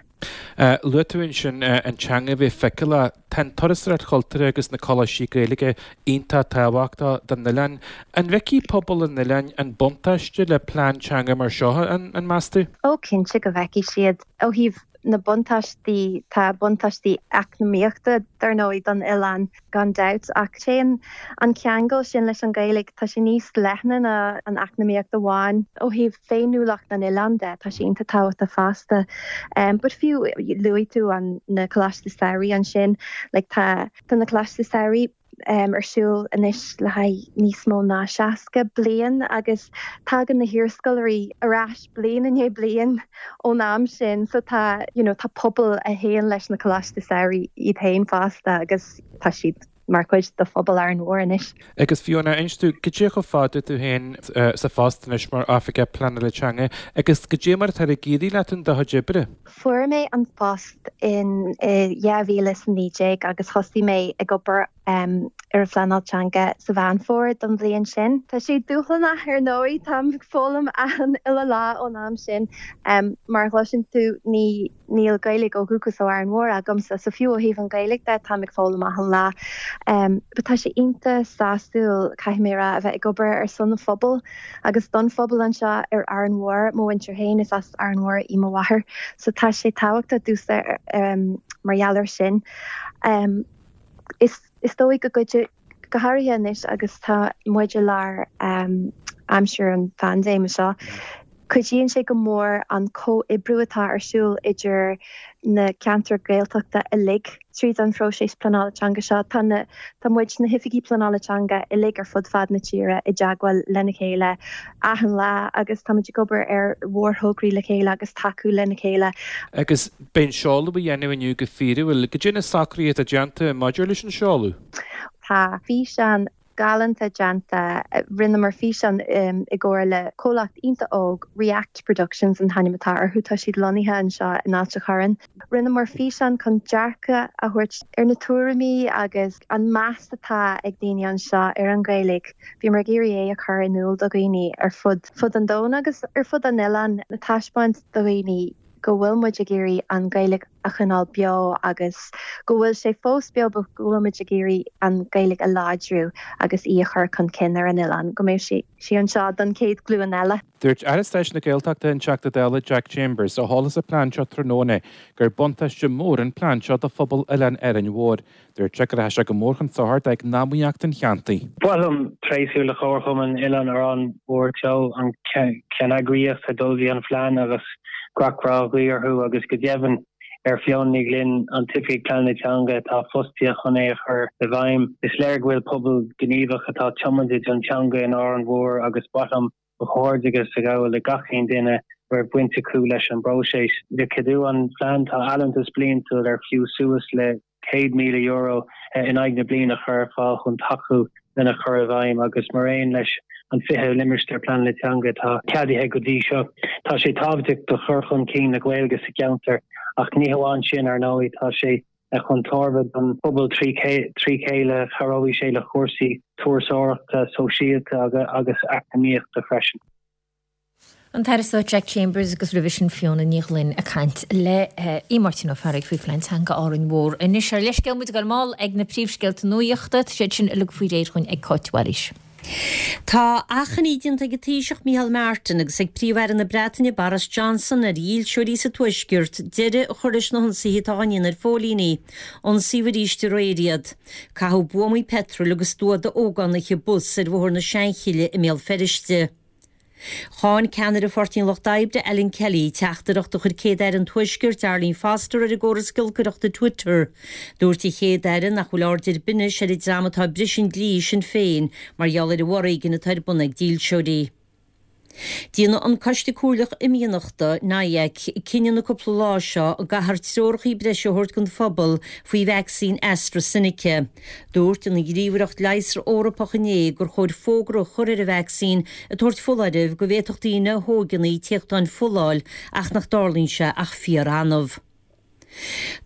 Luaigh tú ansin an teanga a bheith feiceálach. Tá an turasóireacht chultúrtha agus na coláistí Gaeilge iontach tábhachtach don oileán. An bhfeicfidh pobal an oileáin an buntáiste le plean teanga mar seo, an meas tú? Ó cinnte go bhfeicfidh siad. Ó thaobh na buntáistí, tá buntáistí eacnamaíochta dar ndóigh don oileán gan dabht ach téann an ceangal sin leis an Ghaeilge, tá sé níos leithne ná an eacnamaíocht amháin. Ó thaobh féiniúlacht an oileáin de, tá sé iontach tábhachtach fosta. But fiú luaigh tú an na Coláistí Samhraidh ansin, like tá tá na Coláistí Samhraidh ar siúl anois le haghaidh níos mó ná seasca bliain agus tagann na hiarscoláirí ar ais bliain i ndiaidh bliain ón am sin so tá you know tá pobal a théann leis na Coláistí Samhraidh iad féin fosta agus tá siad mar chuid de phobal Árainn Mhór anois. Agus Fiona, inis dúinn, cad é chomh fada tú féin sa phost anois mar Oifigeach Pleanála Teanga agus cad é mar atá ag éirí leat in do chuid oibre? Fuair mé an post in dhá mhíle is a naoi déag agus thosaigh mé ag obair ar an phleanáil teanga sa Mheán Fómhair don bhliain sin. Tá sé dúshlánach ar ndóigh, táim ag foghlaim achan uile lá ón am sin. Mar a chloiseann tú ní níl Gaeilge ó dhúchas ó Árainn Mhór agamsa, so fiú ó thaobh an Ghaeilge de táim ag foghlaim achan lá. But tá sé iontach sásúil, caithfidh mé a rá, a bheith ag obair ar son an phobail agus don phobal anseo ar Árainn Mhór. Mo mhuintir féin, is as Árainn Mhór í mo mháthair, so tá sé tábhachtach domhsa mar gheall air sin. Is is dóigh go gcuideoidh, go háirithe anois agus tá muid i lár aimsir an phaindéime seo, cuidíonn sé go mór an comhoibriú atá ar siúl idir na ceantair Ghaeltachta uilig tríd an phróiseas pleanála teanga seo. Tá na, tá muid, na hoifigigh pleanála teanga uilig ar fud fad na tíre i dteagmháil lena chéile achan lá agus táimid ag obair ar mhórthograí le chéile agus tacú lena chéile. Agus beidh an seoladh á dhéanamh inniu go fíorúil. Cad é na socruithe atá déanta maidir leis an seoladh? Tá físeán galánta déanta. Rinneamar físeán i gcomhar le comhlacht iontach óg, React Productions an t-ainm atá orthu, tá siad lonnaithe anseo in Ailt a' Chorráin. Rinneamar físeán chun dearcadh a thabhairt ar na tuairimí agus an meas atá ag daoine anseo ar an Ghaeilge. Bhíomar ag iarraidh é a chur in iúl do dhaoine ar fud fud an domhain agus ar fud an oileáin, taispeáint do dhaoine go bhfuil muid ag iarraidh an Ghaeilge a choinneáil beo agus go bhfuil sé fós beo but go bhfuil muid ag iarraidh an Ghaeilge a láidriú agus í a chur chun cinn ar an oileán, go mbeidh sí sí anseo don chéad ghlúin eile. Dúirt Aire Stáit na Gaeltachta an Teachta Dála Jack Chambers, a sheol an plean seo tráthnóna, gur buntáiste mór an plean seo do phobal Oileán Árainn Mhóir. Dúirt sé go rachaidh sé go mór chun sochair d'eacnamaíocht an cheantair. Ba mhaith liom tréaslú le Comharchumann Oileán Árainn Mhór Teo, an cheanneagraíocht a d'ullmhaigh an phlean agus gach rath a ghuí orthu agus go deimhin ar Fiona Ní Ghlinn, an tOifigeach Pleanála Teanga atá fostaithe chun é a chur i bhfeidhm. Is léir go bhfuil pobal gníomhach atá tiomanta don teanga in Árainn Mhór agus ba mhaith liom mo chomhghairdeachas a ghabháil le gach aon duine a raibh baint acu leis an bpróiseas. Le ceadú an phlean tá allúntas bliantúil ar fiú suas le céad míle euro in aghaidh na bliana a chur ar fáil chun tacú lena chur i bhfeidhm agus mar aon leis an fiche limistéar pleanála teanga atá ceadaithe go dtí seo, tá sé tábhachtach do chur chun cinn na Gaeilge sa cheantar ach ní hamháin sin ar ndóigh, tá sé chun tairbhe don phobal trí chéile, cabhróidh sé le cúrsaí turasóireachta, sóisialta agus eacnamaíochta freisin. An tAire Stáit Jack Chambers agus roimhe sin Fiona Ní Ghlinn ag caint le Aodh Máirtín Ó Fearraigh faoi phlean teanga Árainn Mhór. Anois ár leithscéal muid ag dul mall ag na príomhscéalta nuachta, tá siad sin uilig faoi réir dhúinn ag Cáit Mhaoilís. Tá achainí déanta ag an Taoiseach Micheál Martin agus ag Príomh-Aire na Breataine Boris Johnson ar dhílseoirí sa Tuaisceart deireadh a chur leis na hionsaithe atá á ndéanamh ar phóilíní. Ionsaíodh arís aréir iad. Caitheadh buamaí peitril agus dua d'ógánaithe bus ar Bhóthar na Seanchille i mBéal Feirste. Cháin ceannaire Pháirtí an Lucht Oibre, Alan Kelly, teachtaireacht a chuir Céad-Aire an Tuaiscirt, Arlene Foster, ar an gcóras giolcaireachta Twitter. Dúirt an Chéad-Aire nach bhfuil aird ar bith anois ar an dream atá ag briseadh an dlí i Sinn Féin mar gheall ar an bhforéigean atá ar bun ag dílseoirí. Déanfaidh an Coiste Comhairleach Imdhíonachta, NIAC, cinneadh na cúpla lá seo an gcaithfear treoracha breise a thabhairt don phobal faoi vacsaín AstraZeneca. Dúirt an Ghníomhaireacht Leigheasra Eorpach inné gur chóir fógra a chur ar an vacsaín ag tabhairt foláirimh go bhféadfadh daoine a thóigeann í téachtáin fola a fháil ach nach dtarlaíonn sé ach fíor-annamh.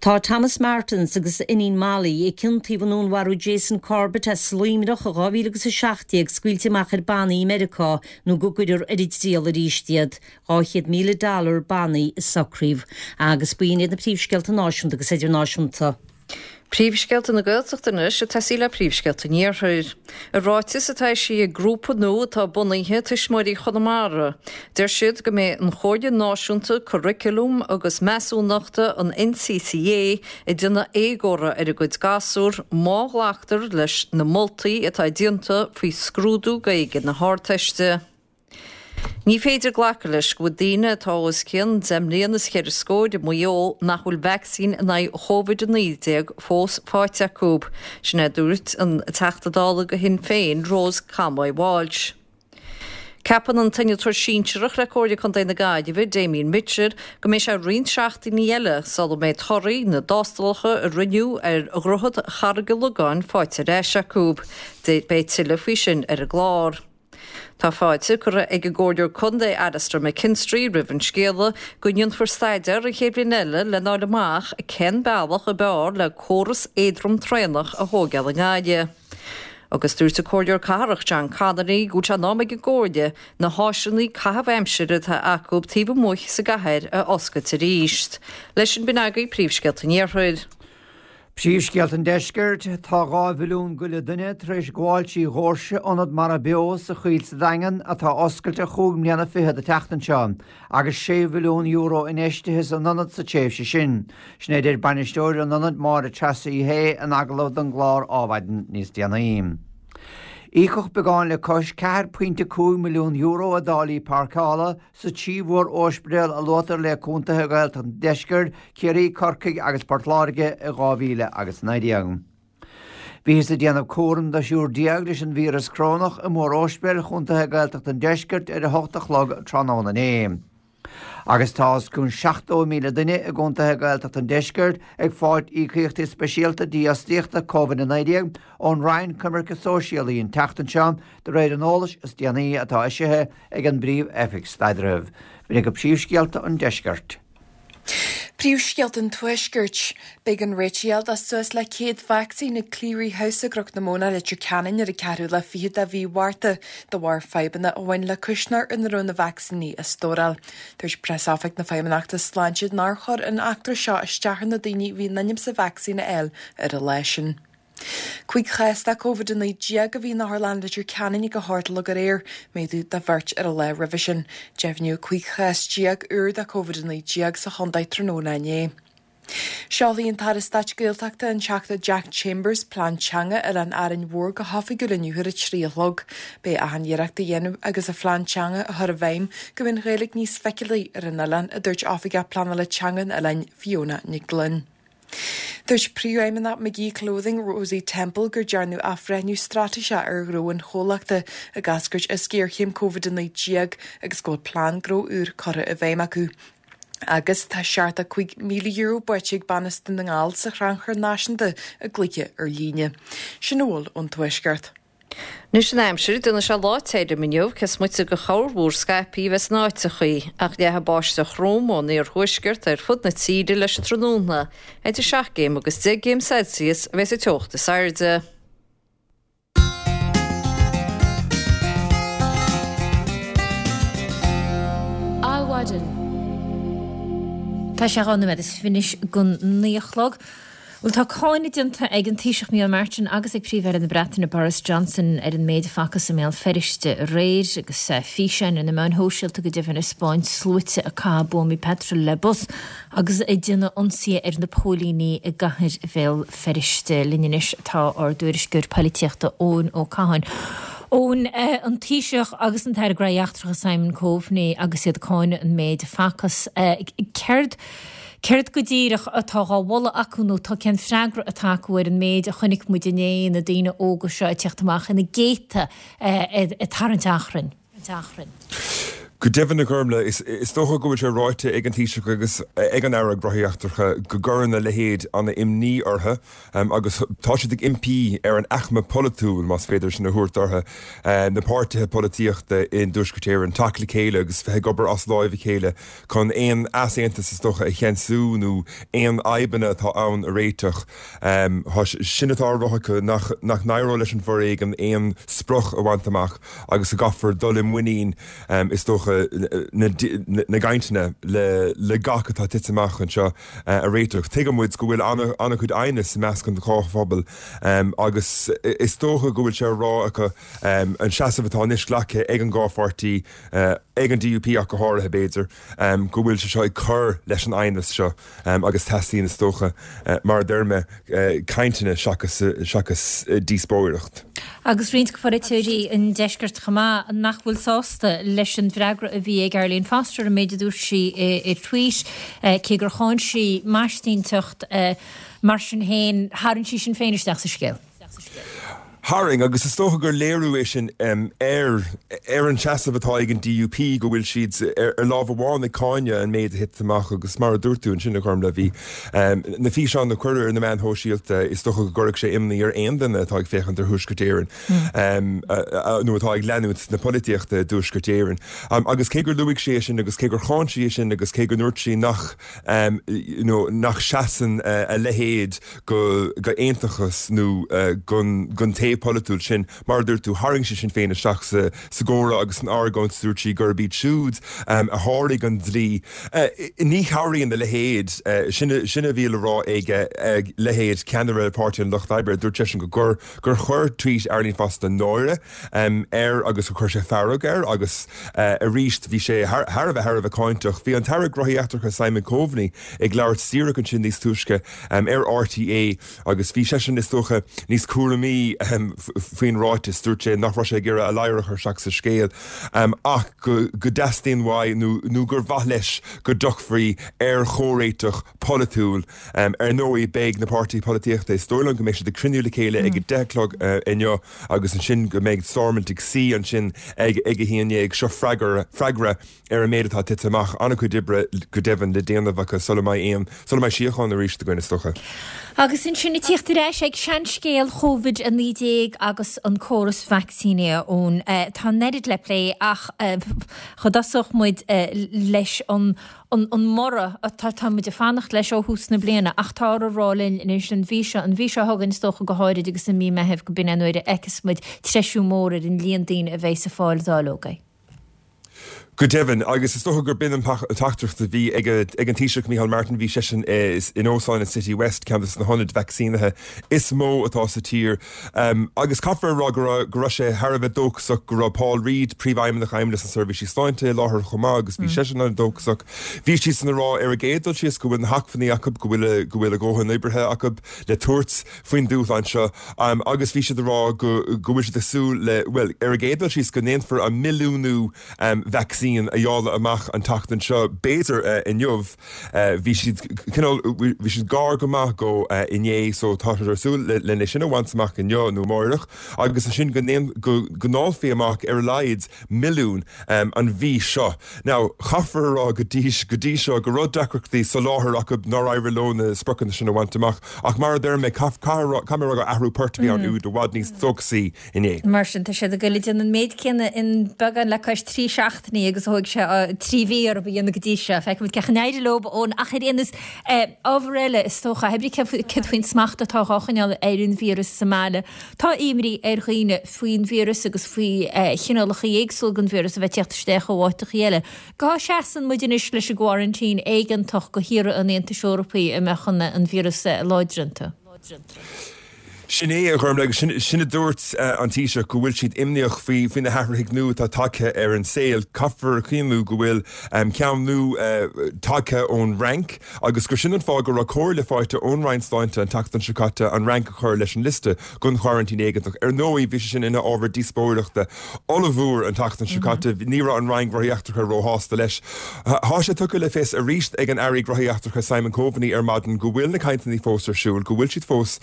Tá Thomas Martins agus a iníon Molly, a ciontaíodh i ndúnmharú Jason Corbett as Luimneach i dhá mhíle agus a seacht déag, scaoilte amach ar bannaí i Meiriceá nó go gcuirfear ar a dtriail arís iad. dhá chéad míle dollar bannaí a socraíodh. Agus b'in iad na príomhscéalta náisiúnta agus idirnáisiúnta. Príomhscéalta na Gaeltachta anois ag tosaí le príomhscéalta an Iarthair. I ráiteas atá eisithe ag grúpa nua atá bunaithe, Tuismitheoirí Chonamara, deir siad go mbeidh an Chomhairle Náisiúnta Curaclaim agus Measúnachta, an NCCA, ag déanamh éagóra ar a gcuid gasúr má ghlactar leis na moltaí atá déanta faoi scrúdú Gaeilge na hArdteiste. Ní féidir glacadh leis go bhfuil daoine atá os cionn deich mbliana is cheithre scór i Maigh Eo nach bhfuil vacsaín in aghaidh Chóivid a naoi déag fós faighte acu. Sin é a dúirt an Teachta Dála do Shinn Féin, Rose Conway Walsh. Ceapann an t-innealtóir sinsearach le Comhairle Contae na Gaillimhe, Damien Mitchell, go mbeidh sé roinnt seachtainí eile sula mbeidh torthaí na dtástálacha a rinneadh ar Dhroichead Charraig an Logáin faighte ar ais acu. Beidh tuilleadh faoi sin ar an gclár. Tá fáilte curtha ag an gComhairleoir Contae Alastair McKinstry roimh an scéala go ndéanfar staidéar an chéad bhliain eile lena fháil amach cén bealach ab fhearr le córas éadrom traenach a thóigeáil i nGaillimh. Agus dúirt an Comhairleoir Cathrach John Connolly go bhfuil sé in am ag an gComhairle na háiseanna caitheamh aimsire atá acu taobh amuigh sa gcathair a oscailt arís. Leis sin b'in agaibh príomhscéalta an Iarthair. Príomhscéalta an Deiscirt, Tá dhá mhilliún go leith duine tar éis gabháil trí dhoirse Ionad Mara Beo sa Choill sa Daingean atá oscailte chúig mbliana fichead an tseachtain seo agus sé mhilliún euro infheistithe san ionad sa tréimhse sin. Sin é a deir bainisteoir an ionaid Máire Treasa Uí Shé in agallamh don gclár Adhmhaidin níos déanaí. Íocadh beagán le cois ceathair pointe cúig milliún euro i dtáillí páirceála sa trí mhór-ospidéal a luaitear le contaetha Ghaeltacht an Deiscirt, Ciarraí, Corcaigh agus Port Láirge i dhá mhíle agus naoi déag. Bhíothas ag déanamh cúraim do thriúr déag leis an víreas corónach i mór-ospidéil chontaetha Gaeltacht an Deiscirt ar a hocht a chlog tráthnóna inné. Agus tá os cionn seachtó míle duine i gcontaetha Gaeltacht an Deiscirt ag fáilt íocaíochtaí speisialta dífhostaíochta Covid a naoi déag ón Roinn Coimirce Sóisialaí an tseachtain seo, de réir an eolais is déanaí atá eisithe ag an bPríomh-Oifig Staidrimh. B'in agaibh príomhscéalta an Deiscirt. Príomhscéalta an Tuaiscirt. B'éigean réiteach a fháil do suas le céad vacsaín ag Cleary House i gCnoc na Móna, Leitir Ceanainn ar an ceathrú lá fichead de mhí Mhárta de bharr fadhbanna a bhain le cuisneoir ina raibh na vacsaíní á stóráil. Dúirt Preasoifig na Feidhmeannachta Sláinte nár chuir an eachtra seo isteach ar na daoine a bhí in ainm is a vacsaín a fháil ar an lá sin. Cúig chás de Covid a naoi déag a bhí in Otharlann Leitir Ceanainn ag a hocht a chlog aréir, méadú de bheirt ar an lá roimhe sin. Deimhníodh cúig chás déag úr de Covid a naoi déag sa chontae tráthnóna inné. Seolfaidh an tAire Stáit Gaeltachta, an Teachta Jack Chambers, Plean Teanga Oileán Árainn Mhór go hoifigiúil inniu ar a trí a chlog. Beidh achan iarracht á dhéanamh agus an phlean teanga a chur i bhfeidhm go mbeidh an Ghaeilge níos feiceálaí ar an oileán, a dúirt Oifigeach Pleanála Teanga an oileáin, Fiona Nic Gloinn. Dúirt Príomhfheidhmeannach McGee Clothing, Rosie Temple, gur dearnadh athbhreithniú straitéiseach ar ghnó an chomhlachta ag eascairt as géarchéim Covid a naoi déag agus go bhfuil plean gnó úr curtha i bhfeidhm acu. Agus tá seachtó cúig míle euro buaite ag bean as Dún na nGall sa Chrannchur Náisiúnta i gcluiche ar líne. Sin a bhfuil ón Tuaisceart. Anois an aimsir, déanfaidh sé lá tirim inniu, cé is moite de chorrmhúr scaipthe a bheas in áiteachaí, ach leathfaidh báisteach throm ón iarthuaisceart ar fud na tíre leis an tráthnóna. Idir seacht gcéim agus deich gcéim Celsius a bheas an teocht is airde. Adhmhaidin. Tá sé dhá nóiméad is fiche anois don naoi a chlog. Bhuel, tá cáineadh déanta ag an Taoiseach Micheál Martin agus ag Príomh-Aire na Breataine Boris Johnson ar an méid a facthas i mBéal Feirste aréir agus físeáin ar na meáin shóisialta go deimhin ag spáint sluaite ag caitheamh buamaí peitril le bus agus ag déanamh ionsaithe ar na póilíní i gcathair Bhéal Feirste. Linn anois tá ár dtuairisceoir poilitíochta Eoin Ó Catháin. Eoin, an Taoiseach agus an tAire Gnóthaí Eachtracha Simon Coveney agus iad ag cáineadh an méid a facthas. Céard Céard go díreach atá dhá mholadh acu nó tá cén freagra atá acu ar an méid a chonaic muid inné, na daoine óga seo ag teacht amach ina gcéadta ag tarraingt achrainn? Go deimhin, a Ghormlaith, is dócha go bhfuil sé ráite ag an Taoiseach agus ag an Aire Gnóthaí Eachtracha go gcuireann a leithéid an-imní orthu agus tá siad ag impí ar an aicme pholaitiúil, más féidir sin a thabhairt orthu, na páirtithe polaitíochta i dTuaisceart Éireann, teacht le chéile agus bheith ag obair as láimh a chéile chun aon easaontas is dócha a cheansú nó aon fhadhbanna atá ann a réiteach. Sin atá á rá acu, nach n-éireoidh leis an bhforéigean aon sprioc a bhaint amach agus go gcaithfear dul i muinín is dócha na gcainteanna le gach atá tite amach anseo a réiteach. Tuigeann muid go bhfuil an-chuid aighneas i measc an dhá phobal agus is dócha go bhfuil sé á rá acu an seasamh atá anois glactha ag an dhá pháirtí, ag an DUP ach go háirithe b'fhéidir, go bhfuil sé seo ag cur leis an aighneas seo agus teastaíonn is dócha, mar a deir mé, cainteanna seachas seachas díospóireacht. Agus roinnt polaiteoirí an deiscirt chomh maith nach bhfuil sásta leis an bhfreagra a bhí ag Arlene Foster, an méid a dúirt sí i tweet, cé gur cháin sí maisínteacht, mar sin féin tharraing sí Sinn Féin isteach sa scéal. Tharraing, agus is dócha gur léiriú é sin ar ar an seasamh atá ag an DUP, go bhfuil siad ar lámh amháin ag cáineadh an méid a thit amach agus mar a dúirt tú ansin, a Ghormlaith, bhí na físeáin a cuireadh ar na meáin shóisialta, is dócha go gcuirfeadh sé imní ar aon duine atá ag féachaint ar Thuaisceart Éireann nó atá ag leanúint na polaitíochta i dTuaisceart Éireann. Agus cé gur luaigh sí é sin agus cé gur cháin sí é sin agus cé go ndúirt sí nach nach seasann a leithéid go aontachas nó gon taobh polaitiúil sin. Mar a dúirt tú, tharraing sí Sinn Féin isteach sa gcomhrá agus san argóint, dúirt sí gurb iad siúd a sháraigh an dlí. Ní chabhraíonn a leithéid, sin a bhí le rá ag leithéid ceannaire Páirtí an Lucht Oibre, dúirt seisean go gur gur chuir tweet Arlene Foster náire air agus gur chuir sé fearg air agus arís bhí sé thar a bheith thar a bheith cáinteach. Bhí an tAire Gnóthaí Eachtracha Simon Coveney ag labhairt díreach ansin níos túisce ar RTÉ agus bhí seisean is dócha níos cúramaí faoin ráiteas. Dúirt sé nach raibh sé ag iarraidh a ladhar a chur isteach sa scéal ach go dteastaíonn uaidh nó gur mhaith leis go dtiocfaí ar chomhréiteach polaitiúil. Ar ndóigh beidh na páirtithe polaitíochta, is dóigh liom go mbeidh siad ag cruinniú le chéile ag a deich a chlog inniu agus ansin go mbeidh Stormont ag suí ansin ag a haon déag. Seo freagra ar an méid atá tite amach. An-chuid oibre go deimhin le déanamh acu sula mbeidh aon, sula mbeidh síocháin arís againn is dócha. Agus ansin ag tíocht ar ais ag seanscéal Covid a naoi déag agus an córas vacsaíní, a Eoin. Tá an oiread le plé ach cha dtosódh muid leis an an mborradh atá tá muid ag fanacht leis ó thús na bliana ach táthar a rá linn anois an mhí seo, an mhí seo chugainn is dócha go háirid agus i mí Meithimh go b'in é an uair a fheicfeas muid treisiú mór ar an líon daoine a bheidh ag fáil dáileogaí. Go deimhin, agus is dócha gur b'in an teachtaireacht a bhí ag an Taoiseach Micheál Martin, bhí seisean in Óstán an City West, ceann de na hionaid vacsaínithe is mó atá sa tír. Agus caithfear a rá go raibh go raibh sé thar a bheith dóchasach go raibh Paul Reid, Príomhfheidhmeannach Fheidhmeannas na Seirbhísí Sláinte i láthair chomh maith agus bhí seisean an-dóchasach. Bhí siadsan ag rá ar an gcéad dul síos go bhfuil na hacmhainní acu, go bhfuil go bhfuil a dhóthain oibrithe acu le tabhairt faoin dúshlán seo agus bhí siad ag rá go go bhfuil siad ag súil le, bhuel, ar an gcéad dul síos go ndéanfar an milliúnú vacsaín a dháileadh amach an tseachtain seo, b'fhéidir inniu. Bhí siad cineál, bhí siad gar go maith dó inné so tá siad ag súil lena sin a bhaint amach inniu nó amáireach agus ansin go go ndáilfí amach ar a laghad milliún an mhí seo. Now, caithfear a rá go dtí go dtí seo go raibh deacrachtaí soláthair acu nár éirigh leo na spriocanna sin a bhaint amach ach mar a deir mé, caithfidh mé a rá gur athrú poirt a bhí ann úd i bhfad níos dóchasaí inné. Mar sin, tá siad ag goil ag déanamh an méid céanna in beagán le cois trí seachtainí agus agus thóg sé trí mhí orthu a dhéanamh go dtí seo. Feicfimid cén chaoi a n-éireoidh leo Eoin ach ar aon nós ábhar eile is dócha, hé brí céard faoin smacht atá á choinneáil ar an víreas sa mbaile. Tá imní ar dhaoine faoin víreas agus faoi chineálacha éagsúla den víreas a bheith ag teacht isteach ó áiteacha eile. Cá seasann muid anois leis an gcoraintín éigeantach go thíortha an Aontais Eorpaigh a mbeadh an víreas láidir iontu? Sin é, a Ghormfhlaith, agus sin, sin a dúirt an Taoiseach, go bhfuil siad imníoch faoi, faoi na hathruithe nua atá tagtha ar an saol. Caithfear a chuimhniú go bhfuil ceann nua tagtha ón Fhrainc agus gur sin an fáth go raibh comhairle faighte ón Roinn Sláinte an tseachtain seo caite an Fhrainc a chur leis an liosta don choraintín éigeantach. Ar ndóigh, bhí sé sin ina ábhar díospóireachta ollmhór an tseachtain seo caite. Ní raibh an Roinn Gnóthaí Eachtracha róshásta leis. Tá sé tugtha le fios arís ag an Aire Gnóthaí Eachtracha Simon Coveney ar maidin go bhfuil na cainteanna fós ar siúl, go bhfuil siad fós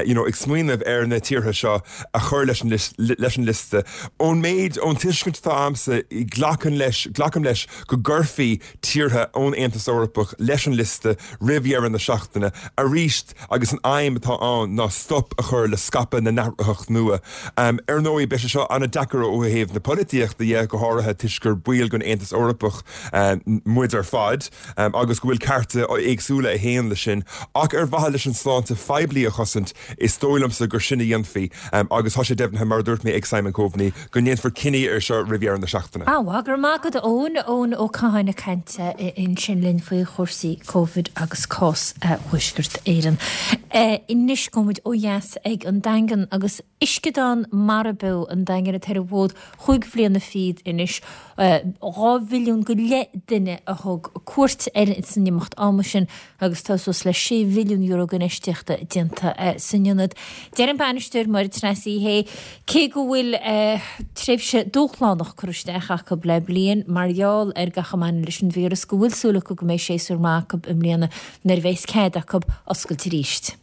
you know, ag smaoineamh ar na tíortha seo a chur leis an leis an liosta. Ón méid, ón tuiscint atá agamsa, glacaim leis, glacaim leis go gcuirfí tíortha ón Aontas Eorpach leis an liosta roimh dheireadh na seachtaine arís agus an aidhm atá ann ná stop a chur le scaipeadh na n-athraitheach nua. Ar ndóigh, beidh sé seo an-deacair ó thaobh na polaitíochta dhe, go háirithe toisc gur baill den Aontas Eorpach muid ar fad agus go bhfuil cearta éagsúla a théann leis sin, ach ar mhaithe leis an sláinte phoiblí a chosaint, is dóigh liomsa gur sin a dhéanfaí agus tá sé deimhnithe, mar a dúirt mé, ag Simon Coveney go ndéanfar cinneadh air seo roimh dheireadh na seachtaine. Á, go raibh maith agat, Eoin. Eoin Ó Catháin ag caint ansin linn faoi chúrsaí Covid agus cás Thuaisceart Éireann. Anois gabhfaidh muid ó dheas ag an Daingean agus Uisceadán Mara Beo an Daingin atá ar an bhfód chúig bhliana fichead anois. Dhá mhilliún go leith duine a thug cuairt air san imeacht ama sin agus tá suas le sé mhilliún euro d'infheistíochta déanta san ionad. Deir an bainisteoir, Máire Treasa Uí Shé, cé go bhfuil tréimhse dúshlánach curtha isteach acu le bliain mar gheall ar gach a mbaineann leis an víreas, go bhfuil súil acu go mbeidh séasúr maith acu i mbliana nuair a bheas cead acu oscailt arís.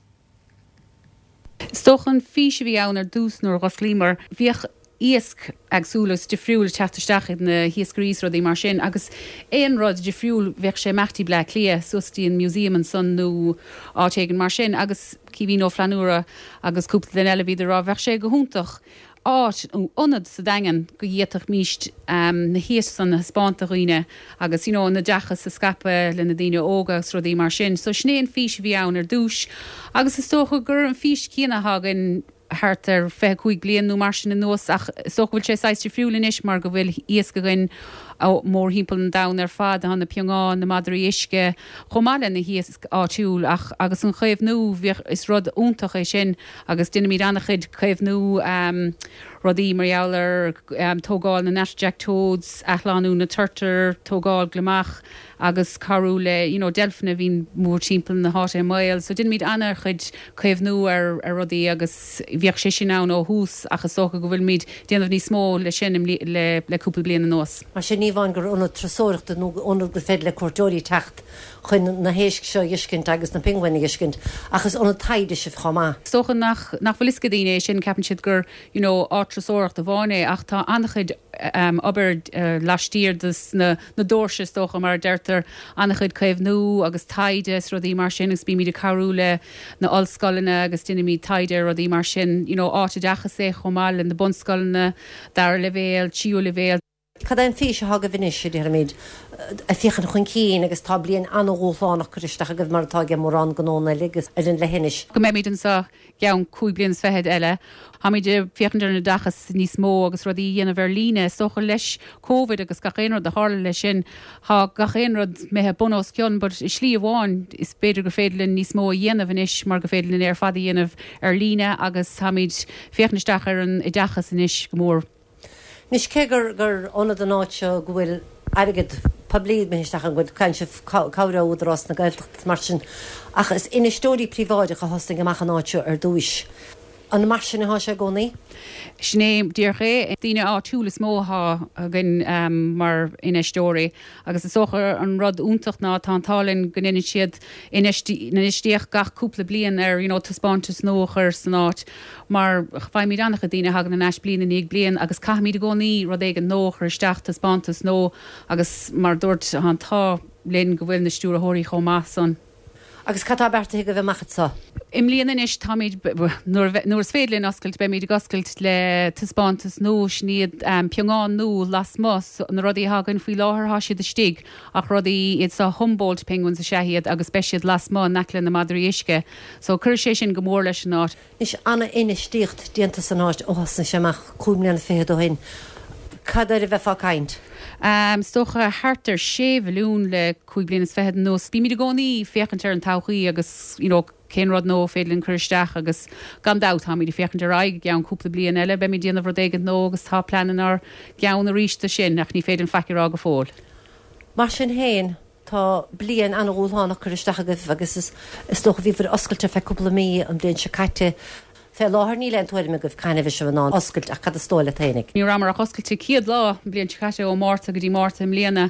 Is dócha an fís a bhí ann ar dtús nuair a dh'osclaíomar, bhíodh iasc eagsúil agus difriúil ag teacht isteach ag na hiascairí is rudaí mar sin agus aon rud difriúil bheadh sé ag imeacht dtí Bleá Cliath suas dtí an museum ansan nó áit éigin mar sin agus Caoimhín Ó Flannúra agus cúpla duine eile bhíodar ag rá bheadh sé go hiontach áit nó ionad sa Daingean go bhféadfaimíst na hiasc san a thaispeáint do dhaoine agus you know an oideachas a scaipeadh le na daoine óga agus rudaí mar sin. So sin é an fís a bhí ann ar dtús agus is dócha gur an fís céanna atá againn thart ar fiche cúig bliain nó mar sin anuas ach is dócha go bhfuil sé saghas difriúil anois mar go bhfuil iasc againn mórthimpeall an domhain ar fad, tá na piongáin, na madraí uisce, chomh maith le na hiasc áitiúil ach agus an chaomhnú, bhíodh, is rud iontach é sin agus deinimid an-chuid caomhnú rudaí mar gheall ar tógáil na natterjack toads, athshlánú na turtar, tógáil gliomach agus cabhrú le you know deilfeanna a bhíonn mórthimpeall na háite i mbaol. So deinimid an-chuid caomhnú ar ar rudaí agus bhíodh sé sin ann ó thús ach is dócha go bhfuilimid déanamh níos mó le sin le le cúpla bliain anuas. Mar sin ní amháin gur ionad turasóireachta nó ionad gur féidir le cuairteoirí teacht chun na héisc seo a fheiscint agus na pinguin a fheiscint ach is ionad taighde sibh chomh maith. Is dócha nach nach bhfuil fhios ag daoine é sin, ceapann siad gur you know áit turasóireachta amháin é ach tá an-chuid obair laistiar de na na doirse is dócha mar a deirtear, an-chuid caomhnú agus taighde is rudaí mar sin agus bímid ag cabhrú le na ollscoileanna agus déanaimid taighde ar rudaí mar sin, you know áit oideachais é chomh maith le na bunscoileanna, dara leibhéal, tríú leibhéal. Cad é an fís atá agaibh anois, a déarfaimid, ag féachaint chun cinn agus tá bliain an-dhúshlánach curtha isteach agaibh mar atá ag mórán gnónna eile agus ar an leithinis. Go mbeimid anseo i gceann cúig bliana is fichead eile. Táimid ag féachaint ar an oideachas níos mó agus rudaí a dhéanamh ar líne. Is dócha leis Covid agus gach aon rud a tharla leis sin, tá gach aon rud imithe bun os cionn but i slí amháin is b'fhéidir gur féidir linn níos mó a dhéanamh anois mar gur féidir linn é ar fad a dhéanamh ar líne agus táimid féachaint isteach ar an oideachas anois go mór. Anois, cé gur gur ionad an áit seo go bhfuil airgead poiblí imithe isteach ann, go bhfuil caint cabhair ó Údarás na Gaeltachta mar sin, ach is infheisteoirí príobháideacha a thosnaigh amach an áit seo ar dtúis. An mar sin atá sé i gcónaí? Sin é díreach é. Daoine áitiúil is mó atá againn mar infheisteoirí agus is dócha an rud iontach ná tá an t-ádh linn go ndéanann siad infheistíocht gach cúpla bliain ar you know taispeántas nua a chur san áit mar faighimid an-chuid daoine a thagann ar ais bliain i ndiaidh bliain agus caithfimid i gcónaí rud éigin nua a chur isteach, taispeántas nua agus mar a dúirt tá an t-ádh linn go bhfuil na stiúrthóirí chomh maith san. Agus cad tá beartaithe agaibh amach anseo? I mbliana anois táimid, nuair nuair is féidir linn oscailt, beimid ag oscailt le taispeántas nua, sin iad piongáin nua lasmuigh, na rudaí atá againn faoi láthair tá siad istigh ach rudaí iad seo Humboldt penguins is ea iad agus beidh siad lasmuigh in aice le na madraí uisce. So cuirfidh sé sin go mór leis an áit. Anois an-infheistíocht déanta san áit ó thosnaigh sé amach cúig mbliana fichead ó shin. Cad air a bheifeá ag caint? Is dócha thart ar sé mhilliún le cúig bliana is fichead anuas. Bímid i gcónaí ag féachaint ar an todhchaí agus you know cén rud nua féidir linn cur isteach agus gan dabht táimid ag féachaint ar aghaidh i gceann cúpla bliain eile beimid ag déanamh rud éigin nua agus tá plean inár gceann arís do sin ach ní féidir linn faic a rá go fóill. Mar sin féin, tá bliain an-dhúshlánach curtha isteach agaibh agus is dócha bhíobhair oscailte ar feadh cúpla mí an bhliain seo caite. Fé láthair níl aon tuairim agaibh cathain a bheidh sibh in ann oscailt ach cad is dóigh leat fhéinig? Ní rabhamar ach oscailte céad lá an bhliain seo caite, ó Márta go dtí Márta i mbliana.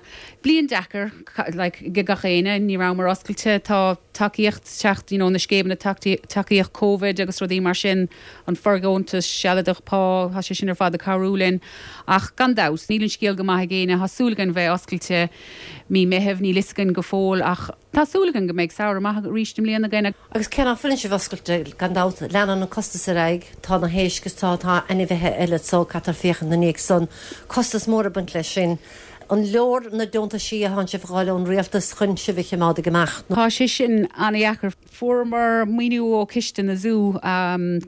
Bliain deacair like ag gach éinne, ní rabhamar oscailte, tá tacaíocht teacht you know na scéimeanna tacaíocht Covid agus rudaí mar sin, an fóirdheontas sealadach pá, tá sé sin ar fad ag cabhrú linn. Ach gan dabht, níl an scéal go maith ag éinne, tá súil againn bheith oscailte mí Meithimh, níl fhios againn go fóill ach Tá súil againn go mbeidh samhradh maith arís i mbliana againn. Agus cé nach bhfuileann sibh oscailte, gan dabht, leanann an costas ar aghaidh, tá na héisc is tá tá ainmhithe eile so caithfear féachaint ina ndiaidh san, costas mór ag baint leis sin. An leor na deontaisí a thánn sibh a dh'fháil ón rialtas chun sibh a chimeád ag imeacht? Tá sé sin an-dheacair. Fuaireamar maoiniú ó Chiste na Zú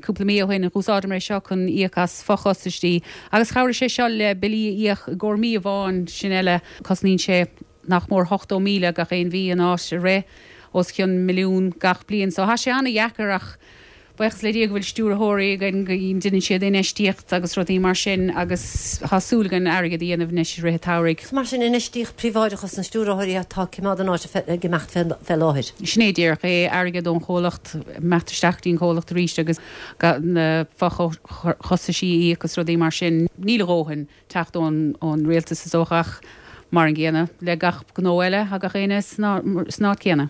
cúpla mí ó shin. Dh'úsáideamar é seo chun íoc as fochostaisí agus chabhraigh sé seo le billí a íoc i gcomhair mí amháin, sin eile. Cosnaíonn sé nach mór ochtó míle gach aon mhí an áit a rith, os cionn milliún gach bliain. So tá sé an-dheacair ach buíochas le Dia go bhfuil stiúrthóirí againn go ndéanann siad infheistíocht agus rudaí mar sin agus tá súil againn airgead a dhéanamh anois i rith an tsamhraidh. So mar sin infheistíocht príobháideach os na stiúrthóirí atá ag coimeád an áit ag imeacht fé láthair. Sin é díreach é, airgead ón chomhlacht, imeacht isteach go dtí an comhlacht arís agus na fochostaisí a íoc agus rudaí mar sin. Níl a dhóthain teacht ón rialtas is dócha ach Mar an gcéanna le gach gnó eile, tá gach éinne san áit chéanna.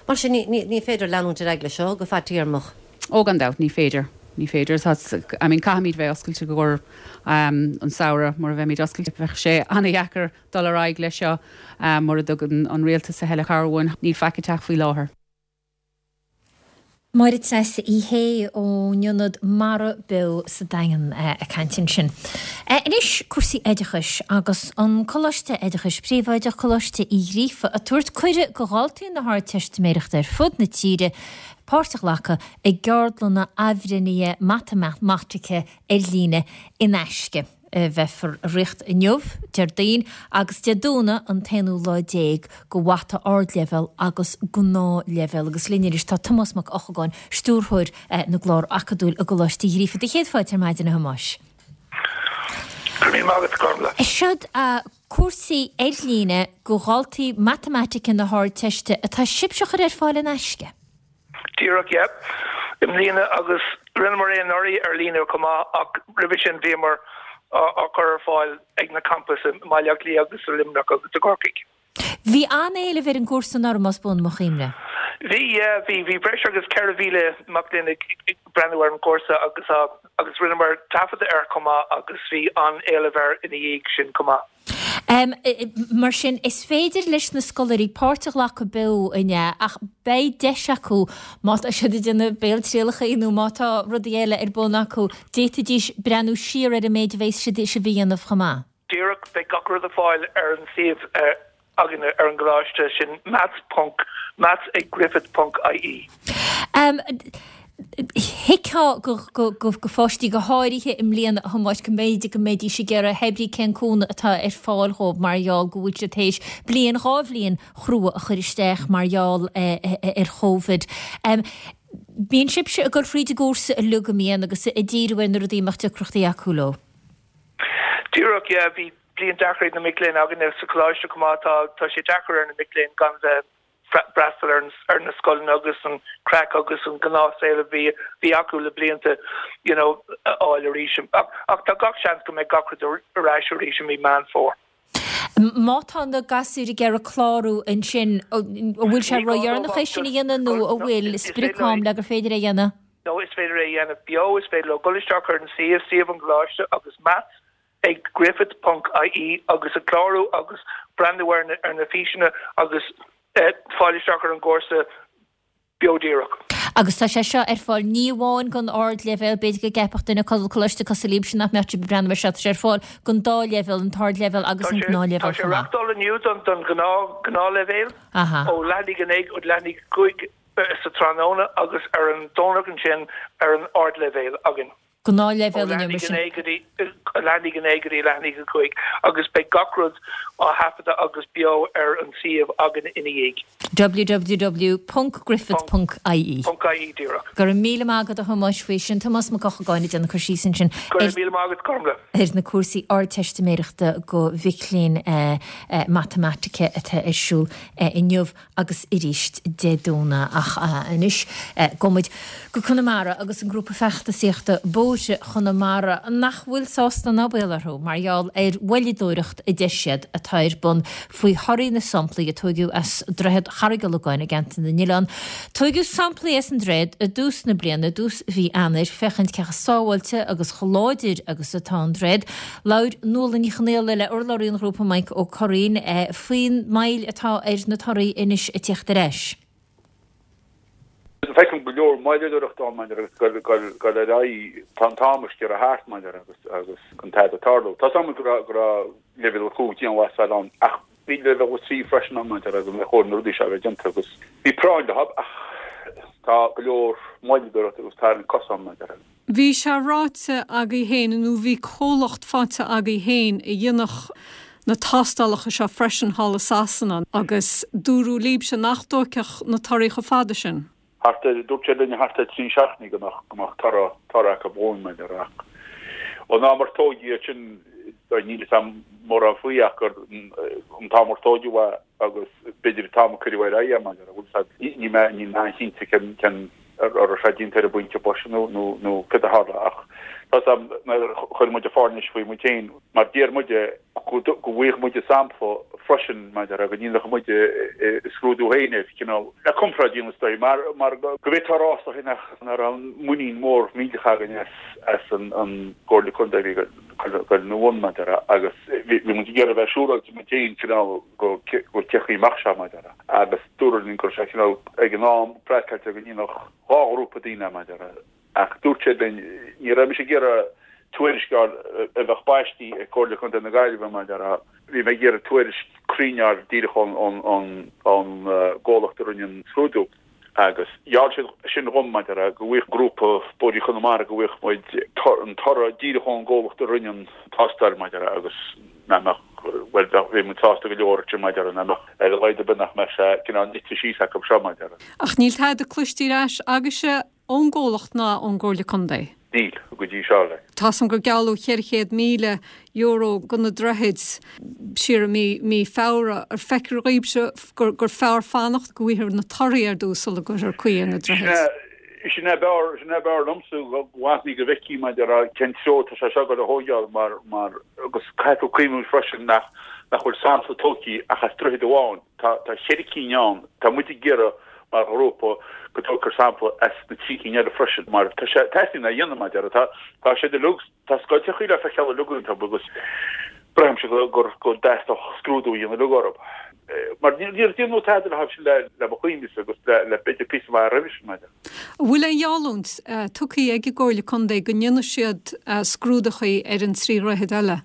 Mar sin, ní féidir leanúint ar aghaidh leis seo go fadtéarmach. Ó, gan dabht, ní féidir. Ní féidir. Tá, I mean, caithfimid bheith oscailte i gcomhair an samhradh. Mura mbeimid oscailte, bheadh sé an-dheacair dul ar aghaidh leis seo mura dtugann an rialtas a thuilleadh cabhair uainn. Níl faic ag teacht faoi láthair. Máire Treasa Uí Shé ón Ionad Mara Beo sa Daingean ag caint ansin. Anois cúrsaí oideachais agus an Coláiste Oideachais Príobháideach, Coláiste Uí Ghríofa, ag tabhairt cuireadh go dhaltaí na hArdteistiméireachta ar fud na tíre páirt a ghlacadh i gceardlanna athbhreithnithe matamaitice ar líne in aisce. a bheifear a rith inniu, Déardaoin, agus Dé Domhnaigh an t-aonú lá déag go Mata Ardleibhéal agus Gnáthleibhéal. Agus linn anois tá Tomás Mac Eochagáin, Stiúrthóir na gClár Acadúil i gColáiste Uí Ghríofa. Do chéad fáilte ar maidin, a Thomáis. Go raibh míle maith agat, Gormlaith. Seod cúrsaí ar líne go dhaltaí matamaitice na hArdteiste atá sibhse a chur ar fáil in aisce. Díreach, yeah. I mbliana agus rinneamar é anuraidh ar líne chomh maith ach roimhe sin bhíomar á chur ar fáil ag na campais i mBaile Átha Cliath agus i Luimneach agus i gCorcaigh. Bhí an-éileamh ar an gcúrsa anuraidh más buan mo chuimhne. Bhí, yeah, bhí. Bhí breis agus ceithre mhíle mac léinn ag breathnú ar an gcúrsa agus agus rinneamar taifeadadh air chomh maith agus bhí an-éileamh air ina dhiaidh sin chomh maith. Mar sin, is féidir leis na scoláirí páirt a ghlacadh beo, an ea, ach beidh deis acu, má tá siad ag déanamh béaltrialacha nó má tá rudaí eile ar bun acu, d'fhéadfaidís breathnú siar ar an méid a bheas sibh a dhéanamh chomh maith. Díreach, beidh gach rud ar fáil ar an suíomh againne ar an gcoláiste, sin maths ponc maths ag griffith ponc ie. Thuigfeá go pháistí go háirithe i mbliana, a Thomáis, go mb'fhéidir go mbeidís ag iarraidh hé brí cén cúnamh atá ar fáil dhóibh mar gheall go bhfuil siad théis bliain, dhá bhliain chrua a chur isteach mar gheall ar Chovid. Bíonn sibhse ag dul thríd an gcúrsa uilig, an mbíonn, agus ag díriú ar na rudaí a mbeadh deacrachtaí acu leo. Díreach, yeah, bhí bliain deacair ag na mic léinn againne sa choláiste chomh maith. Tá, tá sé deacair ar na mic léinn gan bheith freastal ar na scoileanna agus an craic agus an gnáthshaol a bhí bhí acu le blianta you know a fháil arís. Ach tá gach seans go mbeidh gach rud ar ais arís i mí Meán Fómhair. Má tá na gasúir ag iarraidh clárú ansin, an bhfuil sé ródheireanach é sin a dhéanamh nó an bhfuil sprioc-am le gur féidir é a dhéanamh? No, is féidir é a dhéanamh beo, is féidir leo dul isteach ar an suíomh, suíomh an choláiste agus maths ag griffith ponc ie agus a clárú agus breathnú ar na ar na físeanna agus fáil isteach ar an gcúrsa beo díreach. Agus tá sé seo ar fáil ní amháin don ardleibhéal, b'fhéidir go gceapfadh duine coláiste cosúil libhse nach mbeadh sibh ag breathnú air seo, tá sé ar fáil don dá leibhéal, an t-ardleibhéal agus an gnáthleibhéal chomh maith. Tá sé reáchtáil inniu don don ghnáthleibhéal, ó leath i ndiaidh a naoi go leath i ndiaidh a cúig sa tráthnóna agus ar an Domhnach ansin ar an ardleibhéal againn. Gnáthleibhéal inniu mar sin. Ó leath i ndiaidh a naoi go dtí leath i ndiaidh a cúig agus beidh gach rud á thaifeadadh agus beo ar an suíomh againn ina dhiaidh. www.griffith.ie. .ie díreach. Go raibh míle maith agat a Thomáis faoi sin. Tomás Mac Eochagáin ag déanamh cur síos ansin Go raibh míle maith agat Gormlaith. ar na cúrsaí Ardteistiméireachta do mhic léinn matamaitice atá ar siúl inniu. agus arís Dé Domhnaigh. Ach anois gabhfaidh muid go Conamara agus an grúpa feachtasaíochta Bóithre Chonamara nach bhfuil sásta ná baol orthu mar gheall ar mhoilleadóireacht a deir siad atá ar bun faoi thorthaí na samplaí a tóigeadh as Droichead Charraig Ullacháin i gCeantar na nOileán. Tóigeadh samplaí as an droichead i dtús na bliana, i dtús mhí Eanáir, féachaint cé chomh sábháilte agus chomh láidir agus atá an droichead. Labhair Nuala Ní Chonaola le urlabhraí an ghrúpa Mike Ó Curraoin faoin moill atá ar na torthaí anois ag tíocht ar ais. Feicim go leor moilleadóireachta ann maidir agus gabháil ar aghaidh, tá an t-am ag sciorradh thart maidir agus agus gan tada ag tarlú. Tá 's agam go raibh go raibh leibhéal a cúig dianghlasáil ann ach bhí leibhéal a trí freisin ann maidir agus ar chóir na rudaí seo a bheith déanta agus bhí práinn leo ach tá go leor moilleadóireachta agus tarraingt cos ann maidir. Bhí sé ráite agaibh féin, nó bhí comhlacht faighte agaibh féin a dhéanfadh na tástálacha seo freisin thall i Sasana agus dúradh libhse nach dtógfadh na torthaí chomh fada sin. Thart ar, dúirt siad linn thart ar trí seachtainí go mbeadh, go mbeadh toradh, toradh acu dhúinn, maidir ach ón am ar tóigeadh iad sin, níl 'fhios a'm mórán faoi ach gur an t-am ar tóigeadh é agus b'fhéidir an t-am a cuireadh ar aghaidh é, maidir, bhfuil 'fhios a'd, níl mé, níl mé an-chinnte cén, cén an raibh sé déanta ar an bpointe boise nó nó nó cad a tharla ach tá 's a'm nuair a chuir muid an fáirnéis faoi muid féin mar d'iarr muide go go bhfaigheadh muide sampla freisin maidir go ndéanfadh muide scrúdú féin air cineál le comparáid a dhéanamh is dóigh mar mar go bhféadfá a rá is dóigh nach nach raibh muinín mór millteach againn as as an an gComhairle Contae a bhí ag dul ina bhun maidir agus bhí bhí muid ag iarraidh a bheith siúráilte muid féin cineál go go cén chaoi a mbeadh sé maidir agus dúradh linn go raibh sé cineál ag an am praiticiúil go ndéanfadh dhá ghrúpa daoine maidir ach dúirt siad linn ní raibh mise ag iarraidh tuairisc a fháil a bheadh baistí ag Comhairle Contae na Gaillimhe maidir bhí mé ag iarraidh tuairisc cruinn a fháil díreach ón ón ón gcomhlacht a rinne an scrúdú agus gheall siad sin dhom maidir go bhfaigheadh grúpa Bóithre Chonamara go bhfaigheadh muid an toradh díreach ón gcomhlacht a rinne an tástáil maidir agus nach mbeadh bhuel bheadh muid sásta go leor sin maidir nach mbeadh ar a laghad ar bith nach mbeadh sé cineál nite síos acu seo maidir. Ach níl tada cloiste ar ais agaibhse ón gcomhlacht ná ón gComhairle Contae? Níl, go dtí seo le. Tá 's a'm gur gealladh cheithre chéad míle euro do na droichid siar i mí mí Feabhra. Ar feictear dhaoibhse gur gur fearr fanacht go bhfaighfear na torthaí ar dtús sula gcuirfear caoi ar na droichid? Sin é b'fhearr, sin é b'fhearr liomsa go bhfanfaí go bhfeicfí maidir le cén treo atá sé seo ag dul a thóigeáil mar, mar, agus caithfidh tú cuimhniú freisin nach, nach bhfuil sampla tógtha ach as droichead amháin. Tá, tá cheithre cinn ann. Tá muid ag iarraidh mar ghrúpa go dtógfar sampla as na trí cinn eile freisin mar tá sé, teastaíonn é a dhéanamh maidir, tá, tá siad uilig, tá scoilteachaí le feiceáil uilig iontu agus braithimse go, gur, go dteastódh scrúdú a dhéanamh uilig orthu. Mar níor déanadh tada leo sin le mo chuimhnese agus le b'fhéidir píosa maith roimhe sin, maidir. An bhfuil aon gheallúint tugtha ag an gComhairle Contae go ndéanfaidh siad scrúdachaí ar an trí dhroichead eile?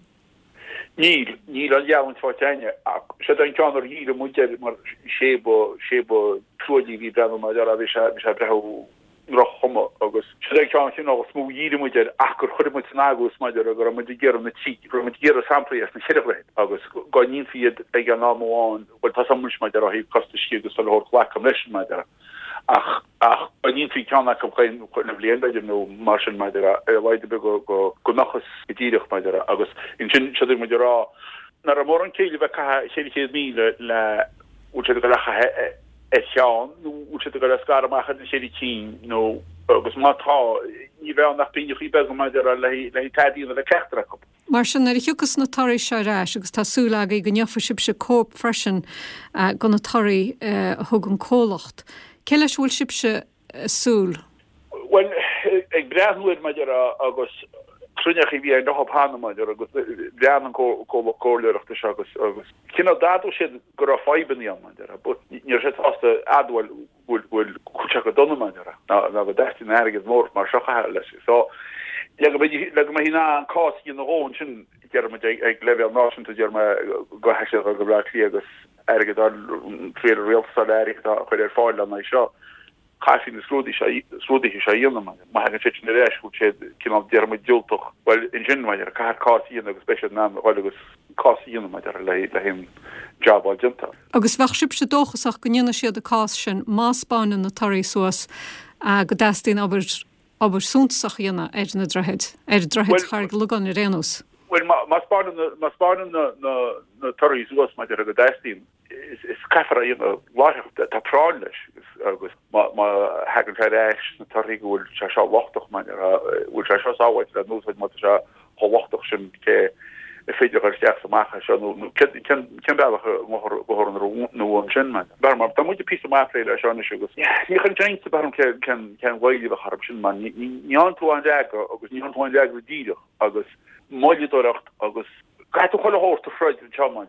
Níl, níl aon gheallúint faighte againne. Ach siod é an ceann ar dhírigh muid air mar sé ba, sé ba truaillí a bhí ag breathnú mar bhí sé, bhí sé ag breathnú droch-chuma agus siod é an ceann cineál is mó a dhírigh muid air ach gur chuir muid san agóid maidir go raibh muid ag iarraidh na trí, go raibh muid ag iarraidh samplaí as na ceithre dhroichead agus go ndéanfaí iad ag an am amháin, bhuel tá 's agam anois maidir ó thaobh costais agus a leithéid glacaim leis sin maidir ach ach go ndéanfaí ceann acu chaon chuile bhliain b'fhéidir nó mar sin maidir ar a laghad ar bith go go go mbeadh fhios go díreach maidir agus ansin siod é muid ag rá nach raibh mórán céille a bheith ag caitheamh cheithre chéad míle le bhfuil siad ag dul a chaitheamh ar cheann nó bhfuil siad ag dul a scaradh amach ar na ceithre cinn nó agus má tá, ní bheidh ann ach pingineachaí beaga maidir le haghaidh tada a dhéanamh le ceachtar acu. Mar sin, nuair a thiocfas na torthaí seo ar ais, agus tá súil agaibh go ngeofaidh sibhse cóip freisin de na torthaí a thug an comhlacht, cé leis a bhfuil sibhse ag súil? Bhuel, ag breathnú air maidir agus cruinneachaí a bhí ann leo cheana maidir agus bhreathnaigh an comhlacht comhairleoireachta seo agus agus cineál d'admhaigh siad go raibh fadhbanna ann maidir but ní raibh siad sásta admháil go bhfuil go bhfuil sé go dona mar ná ná go dteastaíonn airgead mór mar seo a chaitheamh leis. So le go mbeidh le go mbeidh in ann an cás a dhéanamh dhó ansin deir muid ag ag leibhéal náisiúnta deir mé go gcaithfidh sé go Bleá Cliath agus airgead a fháil triail rialtas a fháil airgead a chur ar fáil lena aghaidh seo. Caithfidh na scrúduithe seo a dhéanamh. Má thagann siad sin ar ais go bhfuil siad cineál déarfaidh muid diúltach, bhuel ansin mar caithfear cás a dhéanamh agus beidh siad in ann a dhul agus cás a dhéanamh maidir le le haon job a fháil déanta. Agus bheadh sibhse dóchasach go ndéanfaidh siad an cás sin má 'spáineann na torthaí suas go dteastaíonn obair obair suntasach a dhéanamh ar na droichid, ar droichid Charraig Logáin ar aon nós. Bhuel má 'spáineann má 'spáineann na na na torthaí suas maidir go dteastaíonn is caithfear é a dhéanamh láithreach, tá práinn leis agus má thagann sé ar ais sna torthaí go bhfuil sé seo lochtach maidir bhfuil sé seo sábháilte le n-úsáid má tá sé chomh lochtach sin cé is féidir a dhul isteach is amach as seo nó cén bealach a ngabhfar an uaim sin mar mar tá muid píosa maith plé leis seo anois agus ní chuireann sé iontas orm cén cén mhoill a bheadh orthu sin mar ní fhaigheann tú aon fhreagra agus ní fhaigheann tú aon fhreagra díreach agus moilleadóireacht agus caithfidh tú chuile shórt a throid anseo mar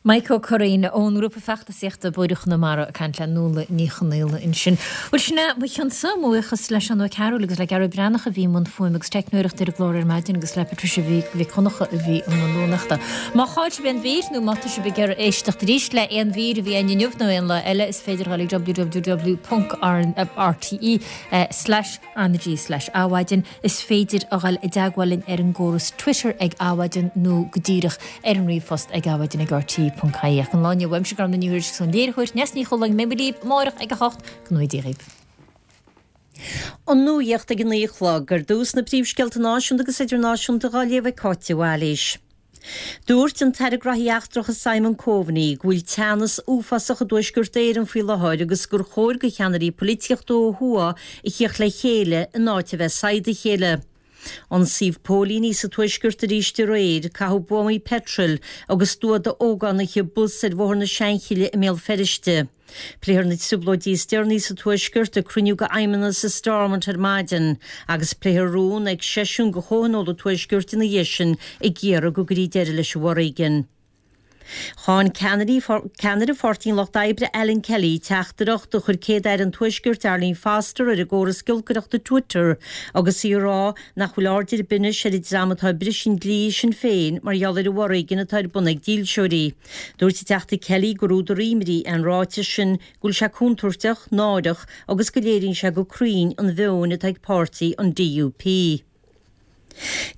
Mike Ó Curraoin ón ngrúpa feachtasaíochta Bóithre Chonamara ag caint le Nuala Ní Chonaola ansin. Bhuel sin é mo chionsa, mo bhuíochas le Seán Ó Cearúil agus le Gearóid Breathnach a bhí i mbun fuaime agus teicneoireachta ar an gclár ar maidin agus le Patricia Mhic Dhonncha a bhí i mbun rúnaíochta. Má chaill sibh aon mhír nó má tá sibh ag iarraidh éisteacht arís le aon mhír a bhí ann inniu nó aon lá eile is féidir dul ag www.rte slash RnaG slash Adhmhaidin. Is féidir a dhul i dteagmháil linn ar an gcóras Twitter ag Adhmhaidin nó go díreach ar an ríomhphost ag adhmaidin ag rte ponc ie. Ach an lá inniu uaimse Gormfhlaith Ní Thuairisg is ón léiritheoir Neasa Ní Chualáin beidh muid libh amárach ag a hocht go ngnóthaí Dia dhaoibh. An nuacht ag a naoi a chlog. Ar dtús na príomhscéalta náisiúnta agus idirnáisiúnta dhá léamh ag Cáit de Bhailís. Dúirt an tAire Graithí Eachtracha Simon Coveney go bhfuil teannas uafásach i dTuaisceart Éireann faoi láthair agus gur chóir do cheannairí polaitíochta ó thuaidh a thíocht le chéile in áit a bheith ag saighdeadh a chéile. Ionsaíodh póilíní sa Tuaisceart arís aréir, caitheadh buamaí peitril agus stua d'ógánaithe bus ar Bhóthar na Seanchille i mBéal Feirste. Pléifear na trioblóidí is deireanaí sa Tuaisceart ag cruinniú d'Fheidhmeannas i Stormont ar maidin agus pléifear rún ag seisiún de Chomhthionól an Tuaiscirt ina dhiaidh sin ag iarraidh go gcuirfí deireadh leis an bhforéigean. Cháin ceannaire Pháirtí an Lucht Oibre Alan Kelly teachtaireacht a chuir Céad-Aire an Tuaiscirt Arlene Foster ar an gcóras giolcaireachta Twitter agus í ag rá nach bhfuil aird ar bith anois ar an dream atá ag briseadh an dlí i Sinn Féin mar gheall ar an bhforéigean atá ar bun ag dílseoirí. Dúirt an Teachta Kelly gur údar imní é an ráiteas sin, go bhfuil sé contúirteach, náireach agus go léiríonn sé go cruinn an mheon atá ag páirtí an DUP.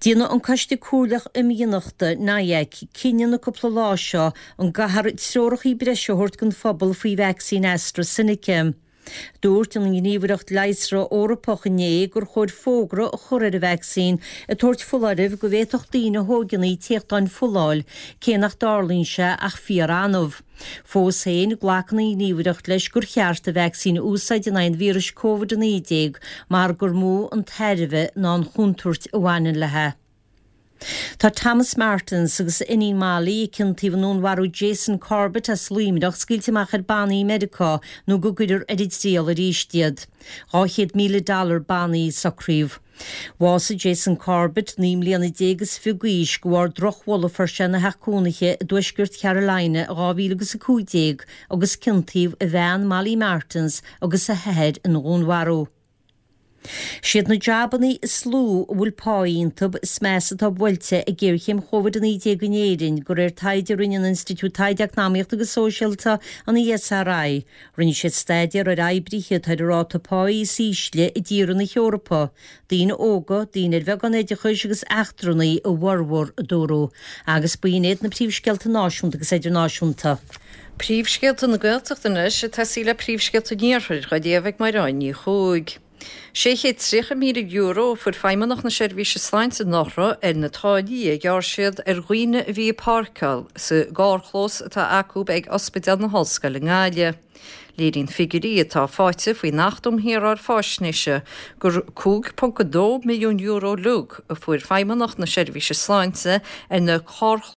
Déanfaidh an Coiste Comhairleach Imdhíonachta, NIAC, cinneadh na cúpla lá seo an gcaithfear treorachaí breise a thabhairt don phobal faoi vacsaín AstraZeneca. Dúirt an Ghníomhaireacht Leigheasra Eorpach inné gur chóir fógra a chur ar an vacsaín ag tabhairt foláirimh go bhféadfadh daoine a thóigeann í téachtáin fola a fháil, cé nach dtarlaíonn sé ach fíor-annamh. Fós féin, glacann an Ghníomhaireacht leis gur cheart an vacsaín a úsáid in aghaidh an víris Covid a naoi déag mar gur mó an tairbhe ná an chontúirt a bhaineann léi. Tá Thomas Martins agus a iníon Molly, a ciontaíodh i ndúnmharú Jason Corbett as Luimneach, scaoilte amach ar bannaí i Meiriceá nó go gcuirfear ar an dtriail arís iad. Dhá chéad míle dollar bannaí a socraíodh. Bhásaigh Jason Corbett, naoi mbliana déag is fiche d'aois, de bharr drochbholadh a fuair sé ina theach cónaithe i dtuaisceart Carolina i dhá mhíle agus a cúig déag agus ciontaíodh a bhean Molly Martins agus a hathair ina dhúnmharú. Siad na jabannaí is lú a bhfuil pá iontu is measa atá buailte ag géarchéim Chóivid a naoi déag in Éirinn, de réir taighde a rinne an Institiúid Taighde Eacnamaíochta agus Sóisialta, an ESRI. Rinne siad staidéar ar oibrithe atá ar an ráta páí is ísle i dtíortha na hEorpa, daoine óga, daoine ar bheagán oideachais agus eachtrannaigh a bhformhór, a dúradh. Agus b'in iad na príomhscéalta náisiúnta agus idirnáisiúnta. Príomhscéalta na Gaeltachta anois ag tosaí le príomhscéalta an Iarthair, dhá léamh ag Mairéad Ní Chuaig. Sé chéad tríocha míle euro a fuair Feidhmeannacht na Seirbhíse Sláinte anuraidh ar na táillí a ghearr siad ar dhaoine a bhí ag páirceáil sa gcarrchlós atá acu ag Ospidéal na hOllscoile i nGaillimh. Léiríonn figiúirí atá faighte faoin Acht um Shaoráil Faisnéise gur cúig ponc a dó milliún euro uilig a fuair Feidhmeannacht na Seirbhíse Sláinte ar na carrchlóis